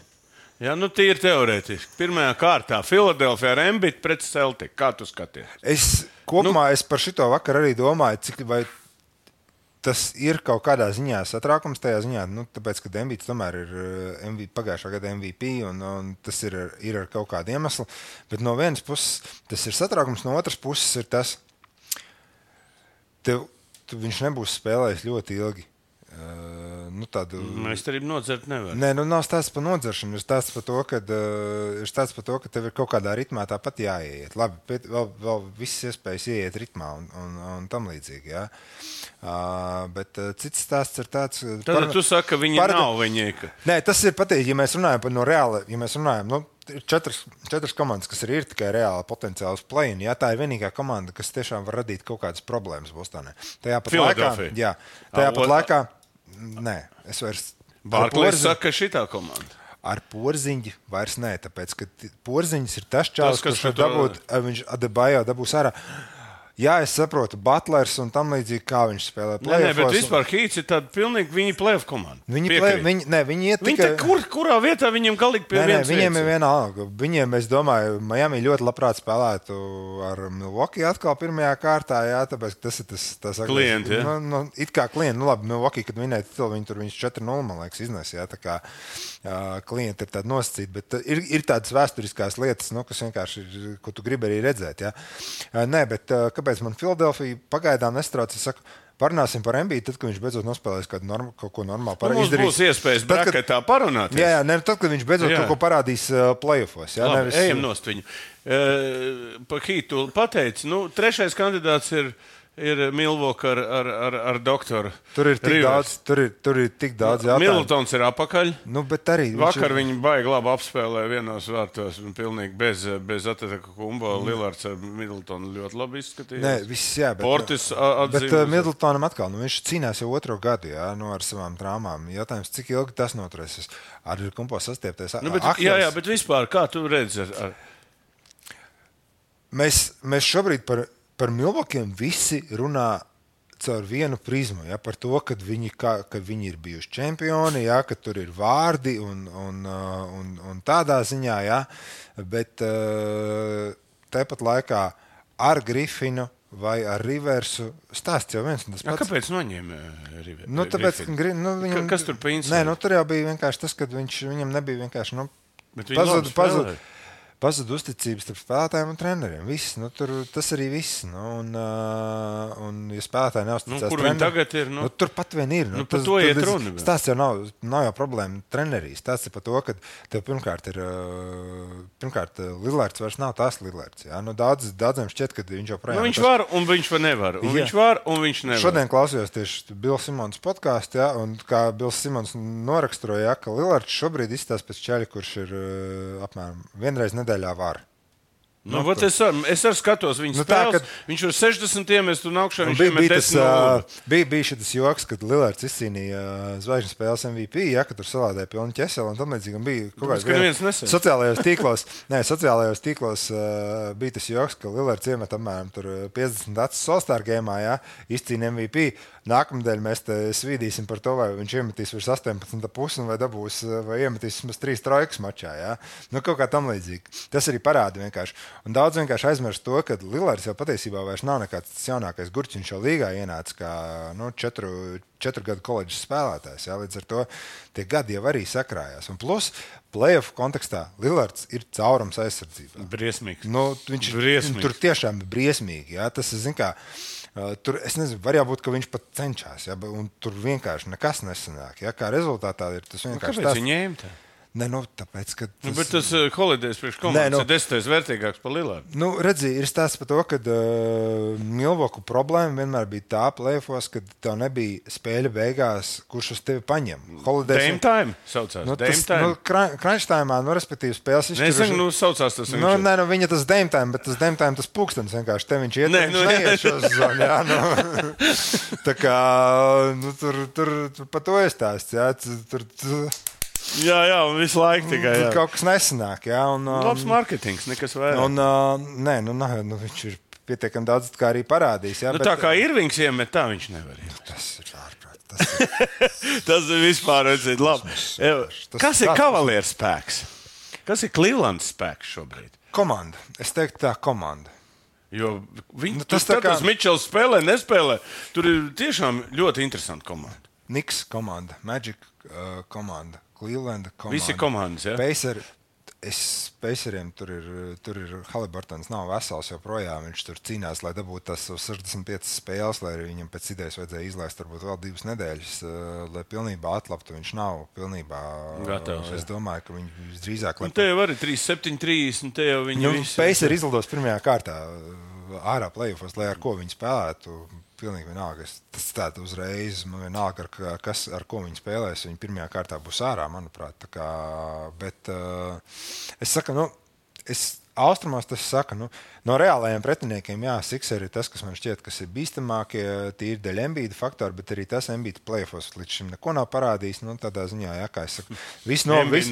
Ja, nu, tīri teorētiski. Pirmajā kārtā Philadelphia ar Embiid pret Celtic. Kā tu skaties? Es kopumā nu, es par šito vakar arī domāju, cik vai tas ir kaut kādā ziņā satraukums tajā ziņā, nu, tāpēc, ka Embiids tomēr ir M V P, pagājušā gada M V P un, un tas ir, ir ar kaut kādu iemeslu. Bet no vienas puses tas ir satraukums, no otras puses ir tas, Tev, tu, viņš nebūs spēlējis ļoti ilgi. Uh, nu, tādu... Mēs arī nodzert nevaram. Nē, nu nav stāsts par nodzeršanu. Ir stāsts par to, ka, uh, ir stāsts par to, ka tev ir kaut kādā ritmā tāpat jāieiet. Labi, bet vēl, vēl visas iespējas ieiet ritmā un, un, un tam līdzīgi. Jā. Uh, bet uh, cits stāsts ir tāds... Tad par, tu saki, ka viņi par, nav viņi. Ka... Nē, tas ir pateikt, ja mēs runājam par no reāla, ja mēs runājam, nu, ir četras, četras komandas, kas ir, ir tikai reāli potenciāls play-in. Jā, tā ir vienīgā komanda, kas tiešām var radīt kaut kādas problēmas Bostonē. Tajā pat laikā, jā, tajā pat laikā, nē, es vairs... Barklīs saka, ka šitā komanda. Ar Porziņģi vairs nē, tāpēc, ka Porziņģis ir tas čāls, kurš var dabūt, viņš Adebayo dabūs ārā. Jā, es saprotu, Butlers un tam līdzīgi, kā viņš spēlē play-offos. Nē, nē, bet vispār Heats ir tāda pilnīgi viņi play-off komanda. Viņi, play, viņi, ne, viņi iet viņi tikai... Viņi kur, kurā vietā viņiem galīgi pie nē, vienas nē, viņiem vietas. ir viena alga. Viņiem, es domāju, Miami ļoti labprāt spēlētu ar Milwaukee atkal pirmajā kārtā, jā, tāpēc tas ir tas... tas klienti, jā? Nu, nu, it kā klienti, nu labi, Milwaukee, kad vinēja titulu, viņi tur viņus četri nulle, man liekas, iznes, jā, tā kā uh, klienti ir tādi nosacīti, bet uh, ir, ir tādas vēsturiskās lietas, nu, kas vienkārši ir, ko tu gribi arī redzēt, jā. Uh, nē, bet uh, kāpēc man Philadelphia pagaidām nestrauc, es saku, parunāsim par Embiidu, tad, kad viņš beidzot nospēlēs kādu norm, kaut ko normālu. Nu, mums izdarīs. Būs iespējas braketā parunāties. Jā, jā, ne, tad, kad viņš beidzot jā. kaut ko parādīs uh, play-offos. Jā, Labi, nevis... ejam nost viņu. Uh, pa Hītu pateici, nu, trešais kandidāts ir, ir Milwaukee ar, ar, ar, ar doktoru. Tur ir tik Rivers. daudz, tur ir, tur ir tik daudz jautājumu. Middletons ir apakaļ. Nu, bet arī... Vakar viņš... viņi baigi labi apspēlē vienos vārtos un pilnīgi bez, bez Atēta Kumbo. Mm. Lillards ar Middletonu ļoti labi izskatījās. Nē, viss jā, bet... Portis atzīmes. Bet uh, Middletonam atkal, nu, viņš cīnās jau otro gadu, jā, nu, ar savām traumām. Jautājums, cik ilgi tas noturēsies? Ar Kumbo sastiepties. Nu, bet, jā, jā, bet vispār, kā tu redzi ar... ar... mēs, mēs šobrīd par, par Milwaukeeiem visi runā caur vienu prizmu, ja, par to, ka viņi, ka, ka viņi ir bijuši čempioni, ja, ka tur ir vārdi un, un, un, un tādā ziņā, ja, bet tāpat laikā ar Griffinu vai ar Riversu stāsts jau viens un tas pats. Ja, kāpēc noņēma Riversu? Nu, tāpēc, nu, viņam, Kas tur pa insidu? Nē, nu, tur jau bija vienkārši tas, ka viņš, viņam nebija vienkārši, nu, pazud, pazud, pazud uzticības starp spēlētājiem un treneriem. Viss, nu, tur, tas arī viss. Nu, un, uh, un, ja spēlētāji neuzticās nu, kur treneri, viņi tagad ir? Nu, nu, tur pat vien ir. Nu, nu, par to iet runa. Stāsts jau nav, nav jau problēma trenerīs. Stāsts ir par to, ka tev pirmkārt ir, uh, pirmkārt, Lillards vairs nav tās Lillards. Ja? Nu, daudz, daudziem šķiet, ka viņš jau projām. Nu, viņš tas... var un viņš var nevar. Un viņš var un viņš nevar. Šodien klausījos tieši Bills Simons podkāstu, ja, un kā Bills Simons noraksturoja, ja, ka Lillards šobrīd izstāsta pēc čaļa, kurš ir uh, apmēram vienreiz nedēļā var. Nu, nu, es, ar, es arī skatos viņa nu, spēles. Tā, kad... Viņš ir sešdesmit iemest un augšā. Nu, viņš bija, bija, tas, uh, bija, bija šis joks, kad Lillards izcīnīja uh, zvaigžņu spēles M V P, ja, kad tur salādēja pilnu ķeseli. Un tam līdzīgi bija kaut kāds viens sociālajos tīklos. Nē, sociālajos tīklos uh, bija tas joks, ka Lillards iemet apmēram piecdesmit acis All-Star gamā, ja, izcīna M V P. Nākamdēļ mēs te svīdīsim par to, vai viņš iemetīs virs astoņpadsmit pusi vai dabūs, vai iemetīs vismaz trīs trojkas mačā. Ja? Nu, kaut kā tam līdzīgi. Tas arī parāda vienkārši. Un daudz vienkārši aizmirst to, ka Lillards jau patiesībā vairs nav nekāds tas jaunākais gurķis. Viņš jau līgā ienāca kā nu, četru, četru gadu koledžas spēlētājs. Ja? Līdz ar to tie gadi jau arī sakrājās. Un plus, playoff kontekstā Lillards ir caurums aizsardzībā. Briesmīgs. Nu, viņš briesmīgs. Tur tiešām ir briesmīgi. Ja? Tas, zin kā, Uh, tur, es nezinu, var jābūt, ka viņš pat cenšas, ja, un tur vienkārši nekas nesanāk. Ja, kā rezultātā ir tas vienkārši nu, kāpēc viņi ņēma tā? Ne, nu, tāpēc, ka tas... Nu, bet tas uh, Holidays priekš komandas nu, ir desmitais vērtīgāks par Lillardu. Nu, redzi, ir stāsts par to, ka uh, Milwaukee problēma vienmēr bija tā playoffos, kad tev nebija spēļa beigās, kurš uz tevi paņem. Holidays... Dame time saucās. Nu, Dame tas, time. Nu, crunch time'ā, nu, respektīvi, spēles izšķiruši... Nezinu, nu, saucās tas. Nu, nē, nu, viņa tas Dame time, bet tas Dame time, tas pūkstens vienkārši. Te viņš iet, nē, viņš nu, neiet šo zonu, jā, nu. Tā kā, nu, tur, tur, tur pa to ir stāsts, jā, tur... tur Jā, jā, un visu laiku tikai. Jā. Kaut kas nesanāk, jā. Un, um, labs marketings, nekas vairāk. Un, uh, nē, nu, nē, nu, viņš ir pietiekami daudz kā arī parādījis. Jā, nu, bet, tā kā Irvings iemet, tā viņš nevar iemet. Tas ir ārprāt. Tas ir, tas ir vispār, redzēt, labi. Tas, kas ir kavalieru spēks? Kas ir Clevelands spēks šobrīd? Komanda. Es teiktu tā komanda. Jo viņi, nu, tas tā kā... Mičels spēlē, nespēlē. Tur ir tiešām ļoti interesanti komanda. Knicks komanda, Magic uh, komanda. Clevelanda komanda. Visi komandas, jā? Pacer, es Paceriem tur ir, tur ir Haliburtons nav vesels joprojām. Viņš tur cīnās, lai dabūtu tās sešdesmit piecas spēles, lai arī viņam pēc idejas vajadzēja izlaist varbūt vēl divas nedēļas, lai pilnībā atlaptu. Viņš nav pilnībā gatavs. Es domāju, ka viņi visdrīzāk... Un te jau arī trīs septiņi trīs, un te jau viņi nu, visi... Pacer izlidos pirmajā kārtā ārā playoffos, lai ar ko viņi spēlētu. Pilnīgi vienalga. Tas tāda uzreiz, man vienalga, ar, kas, ar ko viņi spēlēs. Viņi pirmajā kārtā būs ārā, manuprāt. Tā kā, bet uh, es saku, nu, es austrumos tas saka, nu, no reālajiem pretiniekiem, jā, Sixers ir tas, kas man šķiet, kas ir bīstamākie, tīri dēļ Embiida faktori, bet arī tas Embiida playoffos līdz šim neko nav parādījis. Nu, tādā ziņā, jā, kā es saku, visu, no, visu,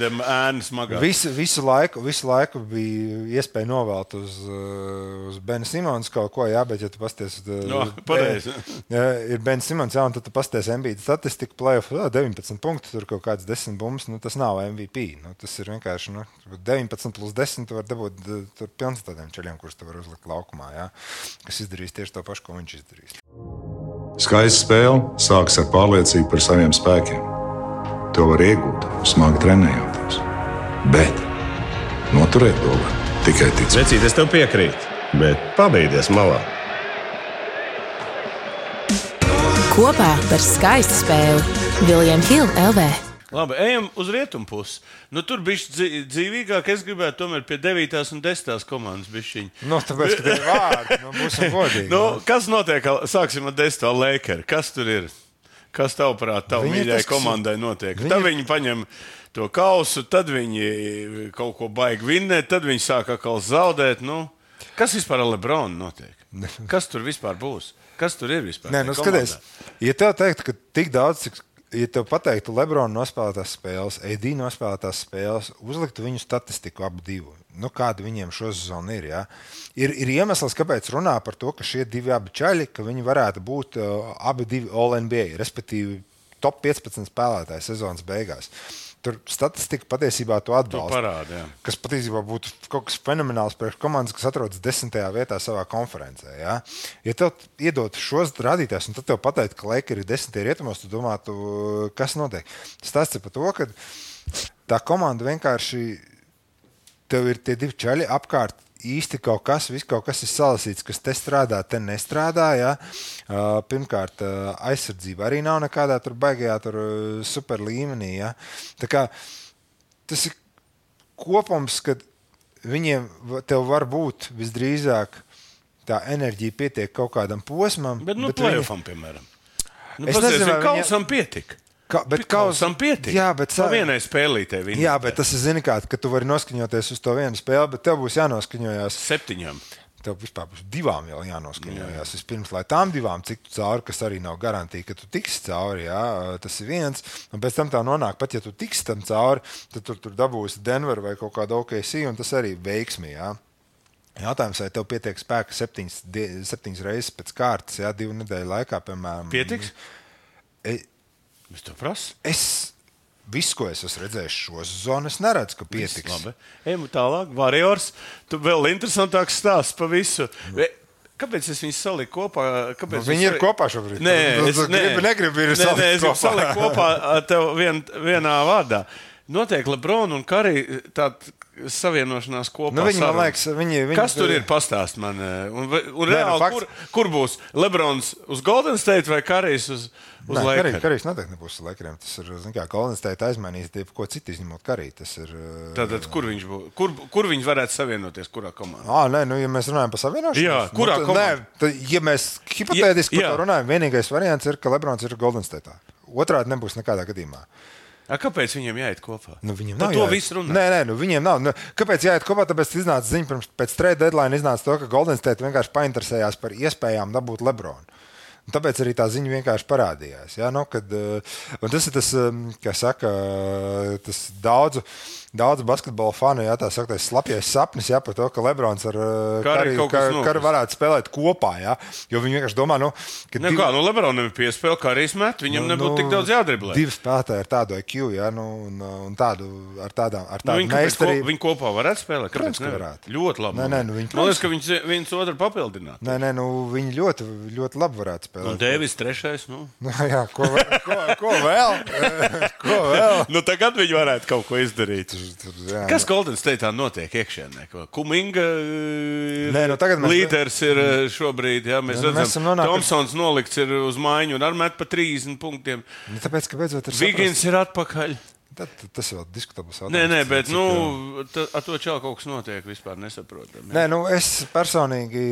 visu, visu, laiku, visu laiku bija iespēja novelt uz, uz Bena Simons kaut ko, jā, bet ja tu pasties, no, pareizi. Ja, ir Ben Simons, jā, un tad tu pasties Embiida statistiku playoffs, deviņpadsmit punktu, tur kaut kāds desmit bumbas, nu, tas nav M V P. Nu, tas ir vienkārši, nu, deviņpadsmit plus desmit tu var dabūt tur pilns tādiem ceļiem, kurus tu var uzlikt laukumā, jā, kas izdarīs tieši to pašu, ko viņš izdarīs. Skaista spēle sākas ar pārliecību par saviem spēkiem. To var iegūt, smagi trenējoties. Bet noturēt to var tikai ticēt. Vecīt, es tev piekrītu, bet pabeigties malā. Kopā par skaistu spēli William Hill L V. Labi, ejam uz rietumu pusi. Nu, tur bišķi dzīvīgāk, es gribētu tomēr pie devītās un desmitās komandas bišķiņi. Nu, tāpēc, ka tie vārdi, nu, būsim godīgi. Nu, kas notiek, sāksim ar desmito Lakers. Kas tur ir? Kas tavuprāt, tavu mīļai komandai notiek? Viņi... Tad viņi paņem to kausu, tad viņi kaut ko baigi vinnēt, tad viņi sāk atkal zaudēt. Nu, kas vispār ar Lebronu notiek? Kas tur vispār būs? Kas tur ir vispār? Nē, nu, skaties, ja tev teikt, ka tik daudz, cik ja tev pateiktu Lebrona nospēlētās spēles, A D nospēlētās spēles, uzliktu viņu statistiku abu divu, nu kāda viņiem šo sezonu ir, jā. Ir, ir iemesls, kāpēc runā par to, ka šie divi abi čaļi, ka viņi varētu būt uh, abi divi All N B A, respektīvi top piecpadsmit spēlētāji sezonas beigās. Tur statistika patiesībā to atbalsta. To parāda, jā. Kas patiesībā būtu kaut kas fenomenāls priekš komandas, kas atrodas desmitajā vietā savā konferencē. Ja, ja tev iedot šos rādītājus, un tad tev pateikt, ka Lakers ir desmitajā rietumos, tu domātu, kas notiek. Stāsts ir par to, ka tā komanda vienkārši, tev ir tie divi čaļi apkārt, īsti kaut kas, viss kaut kas ir salasīts, kas te strādā, te nestrādā. Ja? Uh, pirmkārt, uh, aizsardzība arī nav nekādā tur baigajā tur uh, super līmenī. Ja? Tā kā tas ir kopums, kad viņiem tev var būt visdrīzāk tā enerģija pietiek kaut kādam posmam. Bet nu play-offam, viņi... piemēram. Nu, es nezinu, vai kausam viņa... pietika. Ka, bet kausam pietika. Jā, bet no vienai spēlītē viņa. Jā, bet tas ir, zini kā, ka tu vari noskaņoties uz to vienu spēli, bet tev būs jānoskaņojās. Septiņam. Tev vispār būs divām jau jānoskaņojās. Jā. Vispirms, lai tām divām ciktu cauri, kas arī nav garantīja, ka tu tiksi cauri, jā, tas ir viens. Un pēc tam tā nonāk, pat ja tu tiksi tam cauri, tad tur, tur dabūsi Denver vai kaut kādu O K C, un tas arī veiksmi, jā. Jautājums, vai tev pietiek spēka septiņas, septiņas reizes pēc kārtas, jā, divu nedēļu laikā, piemēram. Pietiks? E, Es to prasu. Es visu, ko es esmu redzējis šo sezonu, es neredzu, ka pietiks. Labi. Ejam tālāk. Warriors. Tu vēl interesantāks stāsts pa visu. Kāpēc es viņus saliku kopā? Nu, viņi ir sali... kopā šobrīd. Nē, es gribu, negribu ir nē, nē, es kopā. saliku kopā tev vien, vienā vārdā. Notiek LeBron un Curry tāda savienošanās kopā. Nu, viņi, man liekas, viņi, viņi... Kas tur ir? Pastāst man. Un, un reāli, nu, fakts... kur, kur būs Lebrons uz Golden State vai Currys uz, uz Lakers? Currys noteikti nebūs uz Lakeriem. Tas ir, zin kā, Golden State aizmainīs tie, ko citu izņemot Curry. Tas ir... Tātad, kur viņš būs? Kur, kur viņi varētu savienoties? Kurā komandā? Ā, nē, nu, ja mēs runājam par savienošanos... Jā, kurā nu, komandā? Nē, tad, ja mēs hipotētiski par to runājam, vienīgais variants ir, ka Lebrons ir Golden State. Otrādi nebūs nekādā gadījumā. A, kāpēc viņiem jāiet kopā? Nu, viņiem Par nav to jāiet. visu runā. Nē, nē, nu, viņiem nav. Nu, kāpēc jāiet kopā? Tāpēc iznāca ziņa pirms pēc trade deadline iznāca to, ka Golden State vienkārši painteresējās par iespējām dabūt Lebronu. Un tāpēc arī tā ziņa vienkārši parādījās. Ja? Nu, kad, un tas ir tas, kā saka, tas daudzu, daudzu basketbola fanu, ja, tā saktais slapjais sapnis, ja, par to, ka Lebrons ar Curry varētu spēlēt kopā. Ja? Jo viņi vienkārši domā, nu, ka... Ne, div... kā, nu Lebronam ir piespēle, Currys met, viņam nu, nebūtu nu, tik daudz jādriblē. Divi spēlētāji ar tādu I Q, ja, nu, un, un tādu, ar tādām, ar tādu nu, meistarību. Ko, viņi kopā varētu spēlēt? Protams, ka varētu. Ļoti labi. Nē, nē, nu, viņi, man liekas, ka viņi viens otru papildinātu. Nē, nē, nu, viņi ļoti, ļoti labi varētu spēlēt. Un Dēvis trešais, nu. Nu, jā, ko, ko, ko vēl? Ko vēl? Nu, tagad viņi varētu kaut ko izdarīt. Tur, jā, kas Golden State'ā notiek iekšienē? Kuminga Nē, nu, mēs... līderis ir šobrīd, jā, mēs nu, redzam, mēs nonāk... Thompsons nolikts ir uz maiņu un ar met pa trīsdesmit punktiem. Nu, tāpēc, ka beidzot ir Vigins ir atpakaļ. Tad, tas vēl diskutabls jautājums. Nē, nē, bet nu, tā, ar to čau kaut kas notiek, vispār nesaprotam. Nē, nu, es personīgi,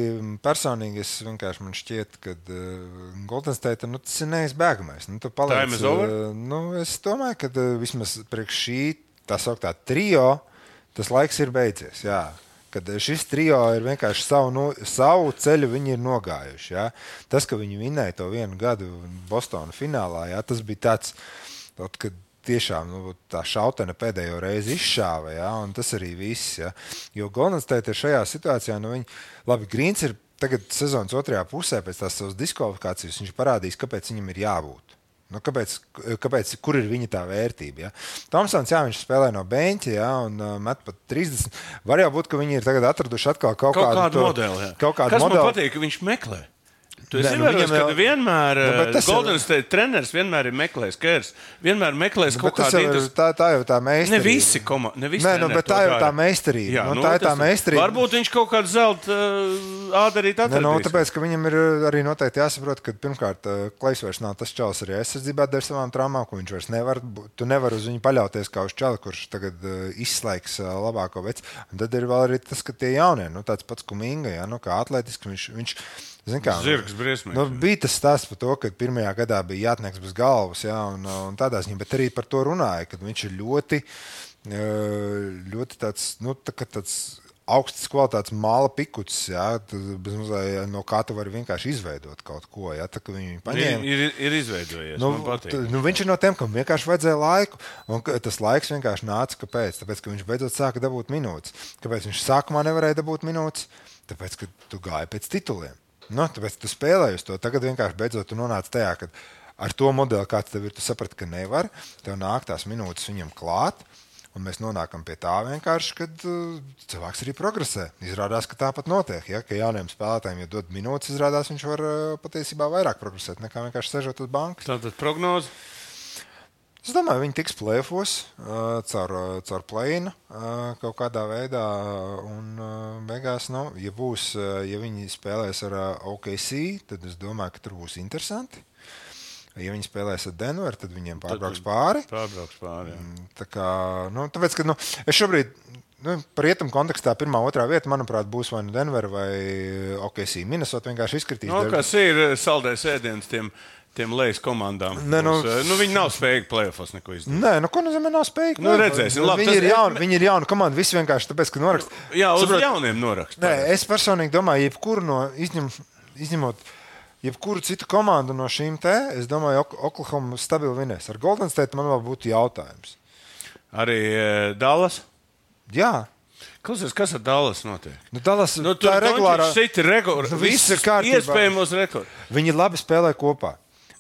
personīgi es vienkārši man šķiet, ka uh, Golden State, nu, tas ir neizbēgamais. Nu, tu paliec, Time is over? Uh, nu, es domāju, ka uh, vismaz priekš šī, tā sauktā trio, tas laiks ir beidzies, jā. Kad šis trio ir vienkārši savu, no, savu ceļu viņi ir nogājuši, jā. Tas, ka viņi vinēja to vienu gadu Bostona finālā, jā, tas bija tāds, tot, kad tiešām nu, tā šautene pēdējo reizi izšāva, ja, un tas arī viss. Ja. Jo Golden State ir šajā situācijā, nu viņi, labi, Grīns ir tagad sezonas otrajā pusē pēc tās savas diskvalifikācijas, viņš parādīs, kāpēc viņam ir jābūt. Nu, kāpēc, kāpēc, kur ir viņa tā vērtība? Ja? Thompsons, jā, viņš spēlē no beņķa, ja, un uh, met pat trīsdesmit. Var jau būt, ka viņi ir tagad atraduši atkal kaut, kaut kādu, kādu to, modeli. Jā. Kaut kādu Kas modeli. man patīk, ka viņš meklē? Tu esi nu, ievērojis, ka jau... vienmēr nu, Golden State treneris vienmēr ir meklējis Kers, vienmēr meklējis nu, kaut kādu interes... tā, tā jau tā meistarība. Ne visi komandi, ne visi Nē, nu, bet tā jau tā meistarība. Jā, nu, nu, tā ir tā meistarība. Varbūt viņš kaut kādu zelta uh, ādarīt atradīs. Ne, nu, tāpēc, ka viņam ir arī noteikti jāsaprot, ka pirmkārt Klejs vairs nav tas čalis arī aizsardzībā dēļ savām traumām, ko viņš vairs nevar. Tu nevar uz viņu paļauties kā uz čali, kurš tagad uh, izslēgs uh, labāko veci. Un tad ir vēl arī tas, ka tie jaunie, nu, tāds pats Kuminga, ja, nu, kā atletiski viņš, viņš zin kā, Zirgs briesmīgs. Nu, bija tas stāsts par to, ka pirmajā gadā bija jātnieks bez galvas, jā, un, un tādā ziņā, bet arī par to runāja, ka viņš ir ļoti, ļoti tāds, nu, tā, tāds augstas kvalitātes māla pikuts, jā, no kā tu vari vienkārši izveidot kaut ko. Jā, tā, viņi paņēma, ir, ir, ir izveidojies, nu, man patīk. T, nu, viņš ir no tiem, kam vienkārši vajadzēja laiku, un tas laiks vienkārši nāca. Kāpēc? Tāpēc, ka viņš beidzot sāka dabūt minūtes. Kāpēc viņš sākumā nevarēja dabūt minūtes? Tāpēc, ka tu gāji pēc tituliem. Nu, tāpēc tu spēlēji uz to. Tagad vienkārši beidzot tu nonāci tajā, ka ar to modeli, kāds tev ir, tu saprati, ka nevar, tev nāk tās minūtes viņam klāt. Un mēs nonākam pie tā vienkārši, kad uh, cilvēks arī progresē. Izrādās, ka tāpat notiek. Ja? Ka jauniem spēlētājiem, ja dod minūtes, izrādās, viņš var uh, patiesībā vairāk progresēt nekā vienkārši sežot uz bankas. Tātad prognoze? Es domāju, viņi tiks play-offos uh, caur, uh, caur play-inu uh, kaut kādā veidā. Un uh, beigās, nu, ja, būs, uh, ja viņi spēlēs ar uh, O K C, tad es domāju, ka tur būs interesanti. Ja viņi spēlēs ar Denveru, tad viņiem pārbrauks pāri. Pārbrauks pāri, jā. Tā kā, nu, tāpēc, ka, nu, es šobrīd, nu, par rietumu kontekstā pirmā, otrā vieta, manuprāt, būs vai nu Denver vai O K C. Minnesota vienkārši izkritīs. Nu, kas ir saldējs ēdiens tiem, tiem lejas komandām? Ne, nu, Būs, nu, viņi nav spējīgi play-offos neko izdarīt. Nē, nu, ko nozīmē nav spējīgi? Nu, redzēsim. Labi, viņi, tas, ir jauni, viņi ir jauni komandi, visi vienkārši tāpēc, ka norakst. Jā, uz Saprot, jauniem norakst. Nē, es personīgi domāju, jebkuru no izņem, izņemot jebkuru citu komandu no šīm te, es domāju, Oklahoma stabili vinēs. Ar Golden State man vēl būtu jautājums. Arī e, Dallas? Jā. Klausies, kas ar Dallas notiek? Nu, Dallas, Nu, tā ir regulārā. Rekord, Nu, viss ir kārtībā. Iespējamos rekordi. Viņi labi spēlē kopā.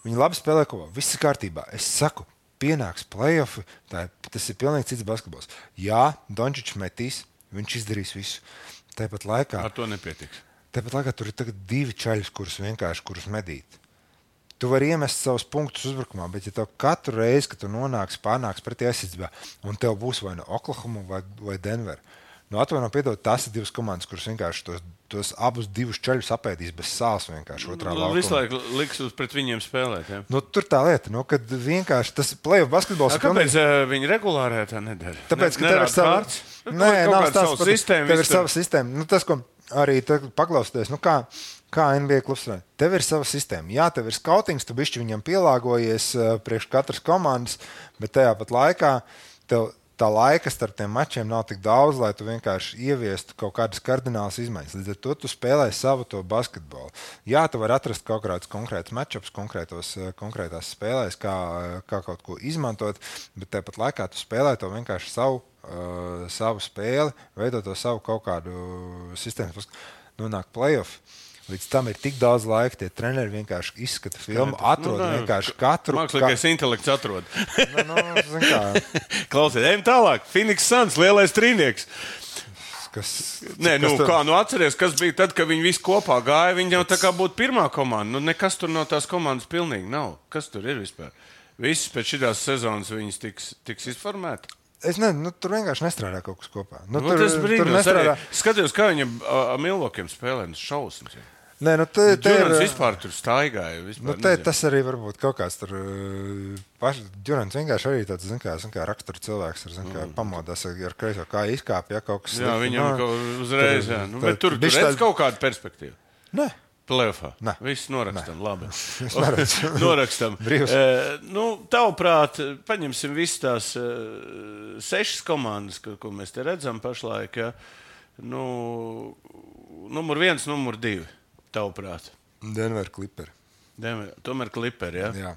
Viņi labi spēlē kopā. Viss ir kārtībā. Es saku, pienāks play-offi, tā, tas ir pilnīgi cits basketbols. Jā, Dončičs metīs, viņš izdarīs visu. Tāpat laikā. Ar to nepietiks. Tāpat laikā tur ir tagad divi čaļi, kurus vienkārši kurus medīt. Tu vari iemest savus punktus uzbrukumā, bet ja tev katru reizi, kad tu nonāksi, pārnāks pretī aizsardzībā, un tev būs vai no Oklahoma vai, vai Denver, nu atvaino piedod, tās ir divas komandas, kuras vienkārši tos, tos abus divus čaļus apēdīs bez sāls vienkārši otrā laukumā. Visu laiku liks uz pret viņiem spēlēt, jā. Nu, tur tā lieta, nu, kad vienkārši tas play-off basketbols... A, kāpēc pilnīgi... viņi regulārē tā nedara? Tāpēc, ka ne, tev ir sava... Nē, nav stāsts par sistēmu. Tev ir sava sistēma. Nu, tas, ko arī paklausties, nu kā, kā N B A klubs strādā. Tev ir sava sistēma. Jā, tev ir skautings, tu bišķi viņam pielāgojies uh, priekš katras komandas, bet tajā pat laikā tev tā laika starp tiem mačiem nav tik daudz, lai tu vienkārši ieviestu kaut kādas kardinālas izmaiņas. Līdz ar to tu spēlē savu to basketbolu. Jā, tu vari atrast kaut kādus konkrētus matchups, konkrētos, konkrētās spēlēs, kā, kā kaut ko izmantot, bet tāpat laikā tu spēlē to vienkārši savu, uh, savu spēli, veidot to savu kaut kādu sistēmu. Nonāk play-off. Līdz tam ir tik daudz laika, tie treneri vienkārši izskata filmu, atrod nu, vienkārši katru. Mākslīgais kā... intelekts atrod. nu, nu, kā... Klausies, ejam tālāk. Phoenix Suns, lielais trīnieks. Kas, Nē, nu, kas tu... kā, nu atceries, kas bija tad, kad viņi visi kopā gāja, viņi jau tā kā būtu pirmā komanda. Nu, nekas tur no tās komandas pilnīgi nav. Kas tur ir vispār? Viss pēc šitās sezonas viņas tiks, tiks izformēti. Es nezinu, nu, tur vienkārši nestrādā kaut kas kopā. Nu, nu, tur, tas brīnums. Nestrādā... Skatījos, kā viņam ar Milvokiem spēlē, nu šausmas. Nē, nu, te, te Džurans ir... vispār tur staigāja. Vispār, nu, te, tas arī varbūt kaut kāds tur... Paš... Džurans vienkārši arī tāds, zin kā, zin kā rakstura cilvēks, ar, zin kā, mm. pamodās ar kreiso, kā izkāp, ja kaut kas... Jā, viņam no, kaut uzreiz, jā. Nu, bet tur, tur redz tā... kaut kādu perspektīvu. Nē. Plēfā. Nē. Viss norakstam, Nē. Labi. norakstam. E, nu, tavuprāt, paņemsim visas tās uh, sešas komandas, ko, ko mēs te redzam pašlaik, ja? Nu, numur viens, numur divi, tavuprāt. Denver Clipperi. Denver, tomēr Clipperi, ja? Jā.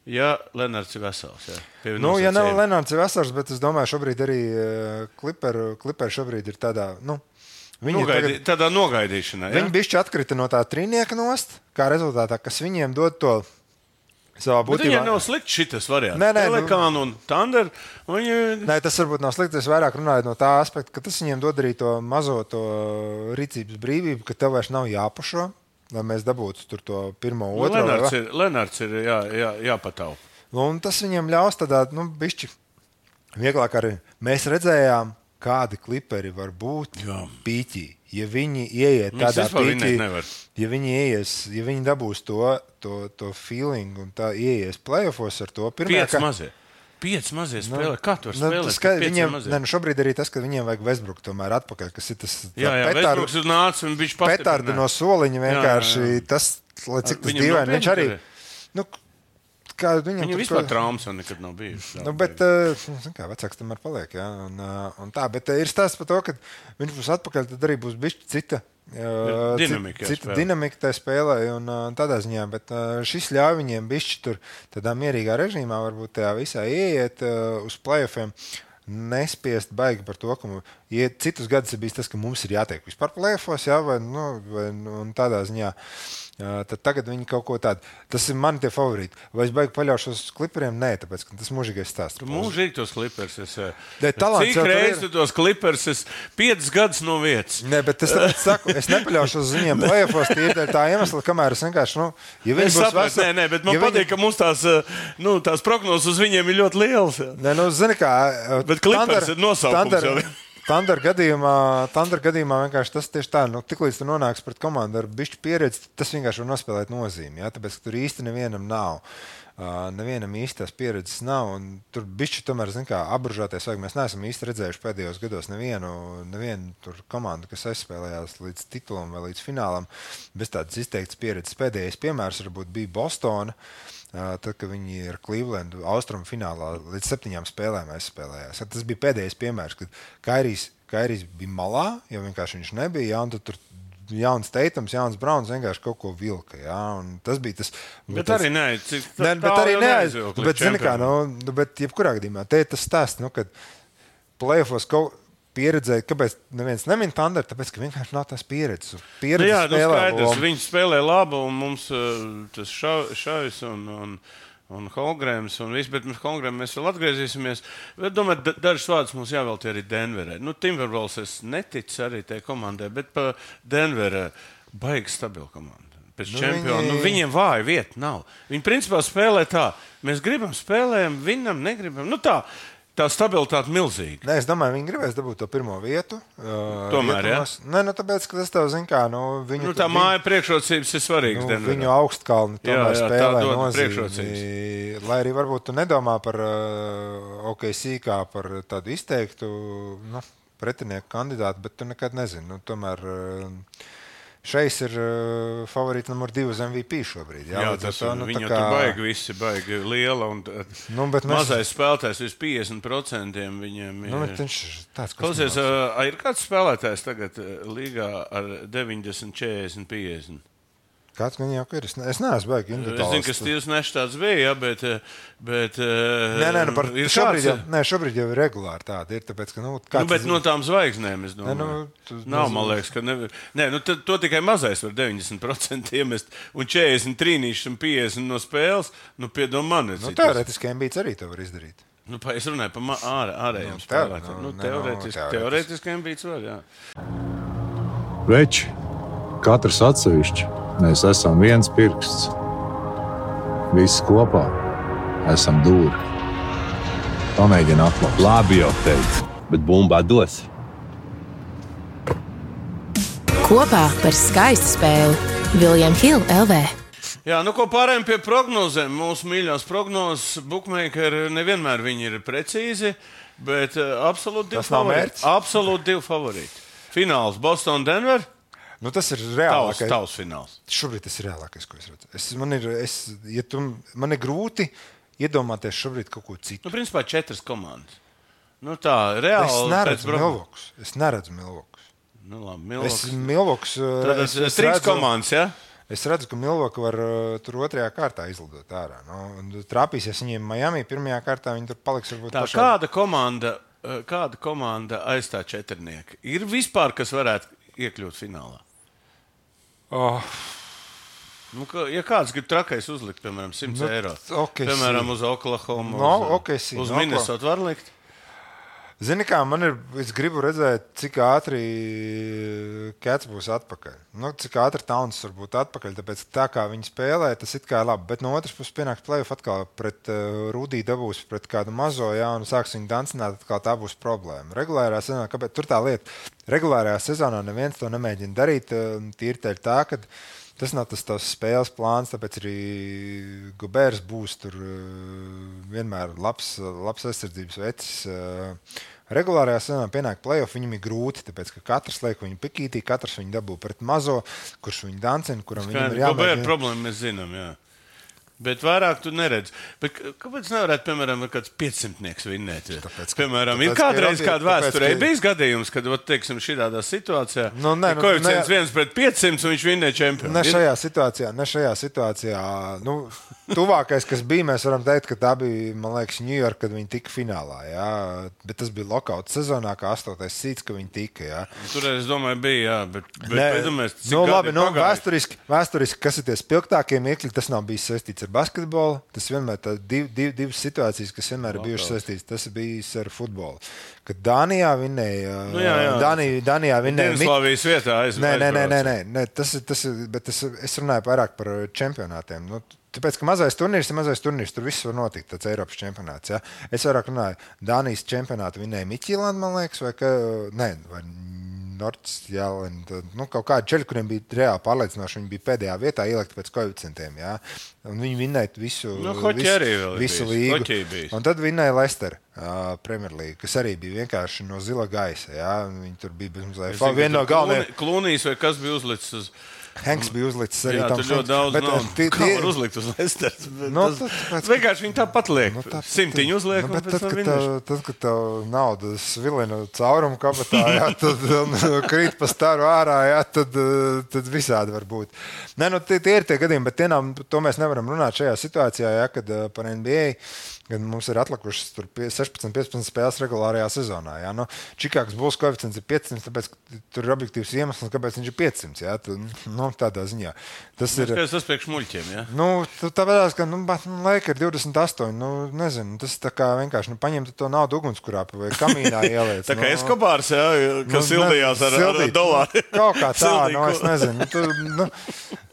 Ja Lenards ir vesels, ja? Nu, ja nav Lenards ir vesels, bet es domāju, šobrīd arī Clipperi, Clipperi šobrīd ir tādā, nu, Nogaidī, tagad, tādā nogaidīšanā. Ja? Viņi bišķi atkrita no tā trīnieka nost, kā rezultātā, kas viņiem dod to savā būtībā. Viņiem nav slikti šitas variants. Nē, nē, Pelikānu un Thunder. Viņi... Nē, tas varbūt nav slikti. Es vairāk runāju no tā aspekta, ka tas viņiem dod arī to mazo to rīcības brīvību, ka tev vairs nav jāpašo, lai mēs dabūtu tur to pirmo, nu, otro. Lenards ir, Lenards ir jā, jā, jāpataupa. Un tas viņiem ļaus tādā, nu, bišķi vieglāk arī. Mēs redzējām, kādi Clipperi var būt jā. Pīķī. Ja viņi ieiet tādā pīķī, ja viņi ieies, ja viņi dabūs to, to, to feeling un tā ieies playoffos ar to. Pirmajā, Piec kā... mazie. Piec mazie spēlē. Nu, Kā tu var spēlēt? Nu, ska, viņiem, ne, nu šobrīd arī tas, ka viņiem vajag Westbrook tomēr atpakaļ, kas ir tas jā, jā, Westbrooks ir nācis un viņš pastiprināja. Petardi no soliņa vienkārši, jā, jā, jā. Tas, lai cik tas dīvaini, viņš arī, nu, kā viņam Viņam vispār traumas vēl nekad nav bijušas. Nu, bet, uh, kā vecāks tomēr paliek, jā, un, uh, un tā, bet uh, ir stāsts par to, ka viņš būs atpakaļ, tad arī būs bišķi cita. Uh, dinamika, cita spēlē. dinamika tajā spēlē un uh, tādā ziņā, bet uh, šis ļauj viņiem bišķi tur tādā mierīgā režīmā varbūt tajā visā ieiet uh, uz playoffiem, nespiest baigi par to, ka ja citus gadus ir bijis tas, ka mums ir jātiek vispār playoffos, jā, vai, nu, vai un tādā ziņā. Uh, tad tagad viņi kaut ko tādu. Tas ir mani tie favorīti. Vai es baigi paļaušos uz kliperiem? Nē, tāpēc, ka tas mūžīgais stāsts. Tu mūžīgi tos klipers. Es, talants, cik reizi tu tos klipers es piecas gadus no vietas? Nē, bet es tāpēc saku, es nepaļaušos uz viņiem playoffos tīri tā iemesla, kamēr es vienkārši, nu, ja viņi es būs sapratu, veseli... Nē, nē, bet man ja patīk, viņi... ka mums tās, nu, tās prognozes uz viņiem ir ļoti lielas. Jā. Nē, nu, zini kā... Bet klipers ir nosaukums jau. Tandar gadījumā, Tandar gadījumā vienkārši tas tieši tā, nu, tiklīdz tu nonāks pret komandu ar bišķu pieredzi, tas vienkārši var nospēlēt nozīmi, jā, tāpēc, ka tur īsti nevienam nav. Uh, nevienam īstās pieredzes nav, un tur bišķi tomēr, zin kā, apburžāties vajag. Mēs neesam īsti redzējuši pēdējos gados nevienu, nevienu tur komandu, kas aizspēlējās līdz titulam vai līdz finālam, bez tādas izteiktas pieredzes. Pēdējais piemērs varbūt bija Bostona, uh, tad, kad viņi ar Clevelandu austrumu finālā līdz septiņām spēlēm aizspēlējās. Tas bija pēdējais piemērs, kad Kairijs, Kairijs bija malā, jo vienkārši viņš nebija, jā, un tad tur jauns Teitams, jauns Brauns vienkārši kaut ko vilka, jā, un tas bija tas... Bet tas, arī neaiz, cik ne, bet arī neaiz, bet, zini kā, nu, nu, bet jebkurā gadījumā, te ir tas stāsts, nu, kad playoffos kaut pieredzēja, kāpēc neviens nemin Tanderu, tāpēc, ka vienkārši nav tās pieredzes. Pieredzes jā, nu, spēlē, skaidrs, un... viņi spēlē labu, un mums uh, tas Šavis un... un un Holgrēms un viss, bet mēs Holgrēm mēs vēl atgriezīsimies. Bet, domāju, dažas vārdas mums jāveltī arī Denverē. Nu, Timberwolves es neticu arī tai komandai, bet pa Denverē baigi stabila komanda. Pēc nu, čempiona, viņi... nu, viņiem vāja vieta nav. Viņi principā spēlē tā, mēs gribam spēlējam, viņam negribam. Nu tā, tā stabilitāte milzīga. Nē, es domāju, viņi gribēs dabūt to pirmo vietu. Uh, Tomēr, jā? Nē, nu tāpēc, ka tas tev zin kā, nu, viņu... Nu, tā viņu, māja priekšrocības ir svarīgas. Nu, viņu augstkalni tomēr jā, jā, spēlē nozīmi. Lai arī varbūt tu nedomā par uh, O K C kā par tādu izteiktu, nu, pretinieku kandidātu, bet tu nekad nezini. Nu, tomēr... Uh, Šeis ir uh, favorīti numur divi uz M V P šobrīd. Jā, jā tas ir. Nu, viņu kā... tur baigi visi, baigi liela un nu, mēs... mazais spēlētājs vis piecdesmit procenti viņiem ir. Nu, viņš tāds, klausies, uh, ir kāds spēlētājs tagad līgā ar deviņdesmit, četrdesmit, piecdesmit? Kāds gan jau ir? Es, ne, es neesmu baigi individuāls. Es zinu, ka Stīvs Nešs tāds bija, jā, bet... bet nē, nē, nu par šobrīd, kāds... jau, nē, šobrīd jau ir regulāri tādi. Ir, tāpēc, ka, nu, nu, bet no tām zvaigznēm, es domāju. Nē, nu, tu, nav, man liekas, ka... Ne, nē, nu, to, to tikai mazais var deviņdesmit procenti iemest, un četrdesmit trīnīšus un piecdesmit no spēles, nu, piedom man. Nu, teorētiski Embiids arī to var izdarīt. Nu, es runāju par ār, ārējiem nu, spēlētājiem. Nu, nu, teorētiski, nu, teorētiski Embiids var, jā. Veči, katrs atsevišķi. Mēs esam viens pirksts. Visi kopā esam dūri. Pamēģini atklāt. Labi jau teicu, bet bumbā dos. Kopā par skaistu spēli William Hill L V. Jā, nu ko pārējām pie prognozēm. Mūsu mīļās prognozes bookmakeri nevienmēr viņi ir precīzi, bet uh, absolūti divi favorīti. Absolūti divi favorīti. Fināls Boston Denver. Nu, tas ir reālākais. Tavs, tavs fināls. Šobrīd tas ir reālākais, ko es redzu. Es, man, ir, es, ja tu, man ir grūti iedomāties šobrīd kaut ko citu. Nu, principā četras komandas. Nu, tā, reāli. Es neredzu Milvokus. Es neredzu Milvokus. Nu, labi, Milvokus. Es Milvokus... Tad es, es trīs redzu, komandas, jā? Ja? Es redzu, ka Milvoku var uh, tur otrajā kārtā izlidot ārā. Nu, trāpīsies viņiem Miami pirmajā kārtā, viņi tur paliks varbūt tā, pašā. Kāda komanda, kāda komanda aizstā četrnieki? Ir vispār, kas varētu iekļūt finālā? Oh. Nu, ka, ja kāds grib trakais uzlikt, piemēram, simts nu, eiro, okay, piemēram, uz Oklahoma, no, uz, okay, si, uz no, Minnesota var likt? Zini kā, man ir, es gribu redzēt, cik ātri Cats būs atpakaļ. Nu, cik ātri Towns var būt atpakaļ, tāpēc tā kā viņi spēlē, tas it kā ir labi. Bet no otras puses pienāks playoff atkal pret uh, Rudī dabūs pret kādu mazo, jā, un sāks viņu dancināt, atkal tā būs problēma. Regulārā sezonā, kāpēc tur tā lieta? Regulārajā sezonā neviens to nemēģina darīt, tīri tā ir tā, ka tas nav tas tavs spēles plāns, tāpēc arī Gobērs būs tur vienmēr labs, labs aizsardzības vecis. Regulārajā sezonā pienāk playoff, viņam ir grūti, tāpēc, ka katrs liek viņu pikītī, katrs viņu dabū pret mazo, kurš viņu dancina, kuram Skaidri, viņam ir jāmēģina. Gobēra problēma mēs zinām, jā. Bet vairāk tu neredz. Bet kāpēc nevarētu, piemēram, kāds piecsimtnieks vinnēt? Tāpēc, piemēram, tāpēc, ir kādreiz kāda vēsturē tāpēc, ka... bijis gadījums, kad, teiksim, šādā situācijā nu, ne, nu, koeficients ne, viens pret piecsimt un viņš vinnēja čempionu. Ne šajā situācijā, ne šajā situācijā. Nu, tuvākais, kas bija, mēs varam teikt, ka tā bija, man liekas, New York, kad viņi tika finālā. Jā. Bet tas bija lockout sezonā, kā astotais sīts, ka viņi tika. Jā. Tur, es domāju, bija, jā. Bet, bet ne, pēdumēs, nu, labi, nu, vēsturiski, vēsturiski, kas ir tie spilgtākie miekļi, tas nav bijis saistīts ar basketbolu. Tas vienmēr ir div, div, divas situācijas, kas vienmēr ir bijušas saistītas. Tas ir bijis ar futbolu. Kad Dānijā vinnēja, nu, jā, jā. Dānijā, Dānijā vinnēja. Dienaslavijas vietā aizbrauca. Nē, nē, nē, nē, nē. Tas ir, tas ir, bet es, es runāju vairāk par čempionātiem. Nu, tāpēc, ka mazais turnīrs ir mazais turnīrs, tur viss var notikt, tāds Eiropas čempionāts. Ja? Es vairāk runāju, Dānijas čempionātu vinnēja Miķīlanda, man liekas, vai ka, nē, vai Nordsjælland, nu, kaut kādi čeļi, kuriem bija reāli pārliecinoši, viņi bija pēdējā vietā ielikti pēc koeficientiem, jā. Un viņi vinnēja visu, nu, visu, visu līgu. Un tad vinnēja Leicester uh, Premier League, kas arī bija vienkārši no zila gaisa, jā. Viņi tur bija bezmazliet. Viena no galvenajiem. Klūnīs vai kas bija uzlicis uz... Hanks bija uzlicis arī jā, tam. Jā, tur ļoti daudz bet, naudu. Tie, Kā var uzlikt uz Leicesters? No, tas, tas, vienkārši viņi tāpat liek. No, tā, Simtiņu uzliek no, un pēc tad, tam kad tev, tad, kad tev nauda svilina caurumu kabatā, jā, tad un, krīt pa staru ārā, jā, tad, tad visādi var būt. Nē, nu, tie, tie ir tie gadījumi, bet tie nav, to mēs nevaram runāt šajā situācijā, jā, kad par N B A, kad mums ir atlikušas sešpadsmit piecpadsmit spēles regulārajā sezonā. Jā. Nu, Čikāgas Bulls koeficients ir piecsimt, tāpēc tur ir objektīvs iemesls, kāpēc viņš ir piecsimt. Jā. Tu, nu, tādā ziņā. Tas ir tas priekš muļķiem, jā? Nu, tāpēc, ka nu, laika ir divdesmit astoņi. Nu, nezinu, tas tā kā vienkārši nu, paņemt to naudu ugunskurāpi vai kamīnā ieliec. Tā kā nu, Eskobārs, jā, kas nu, sildījās ar, ar dolāru. Kaut kā tā, nu, es nezinu. Tu, nu,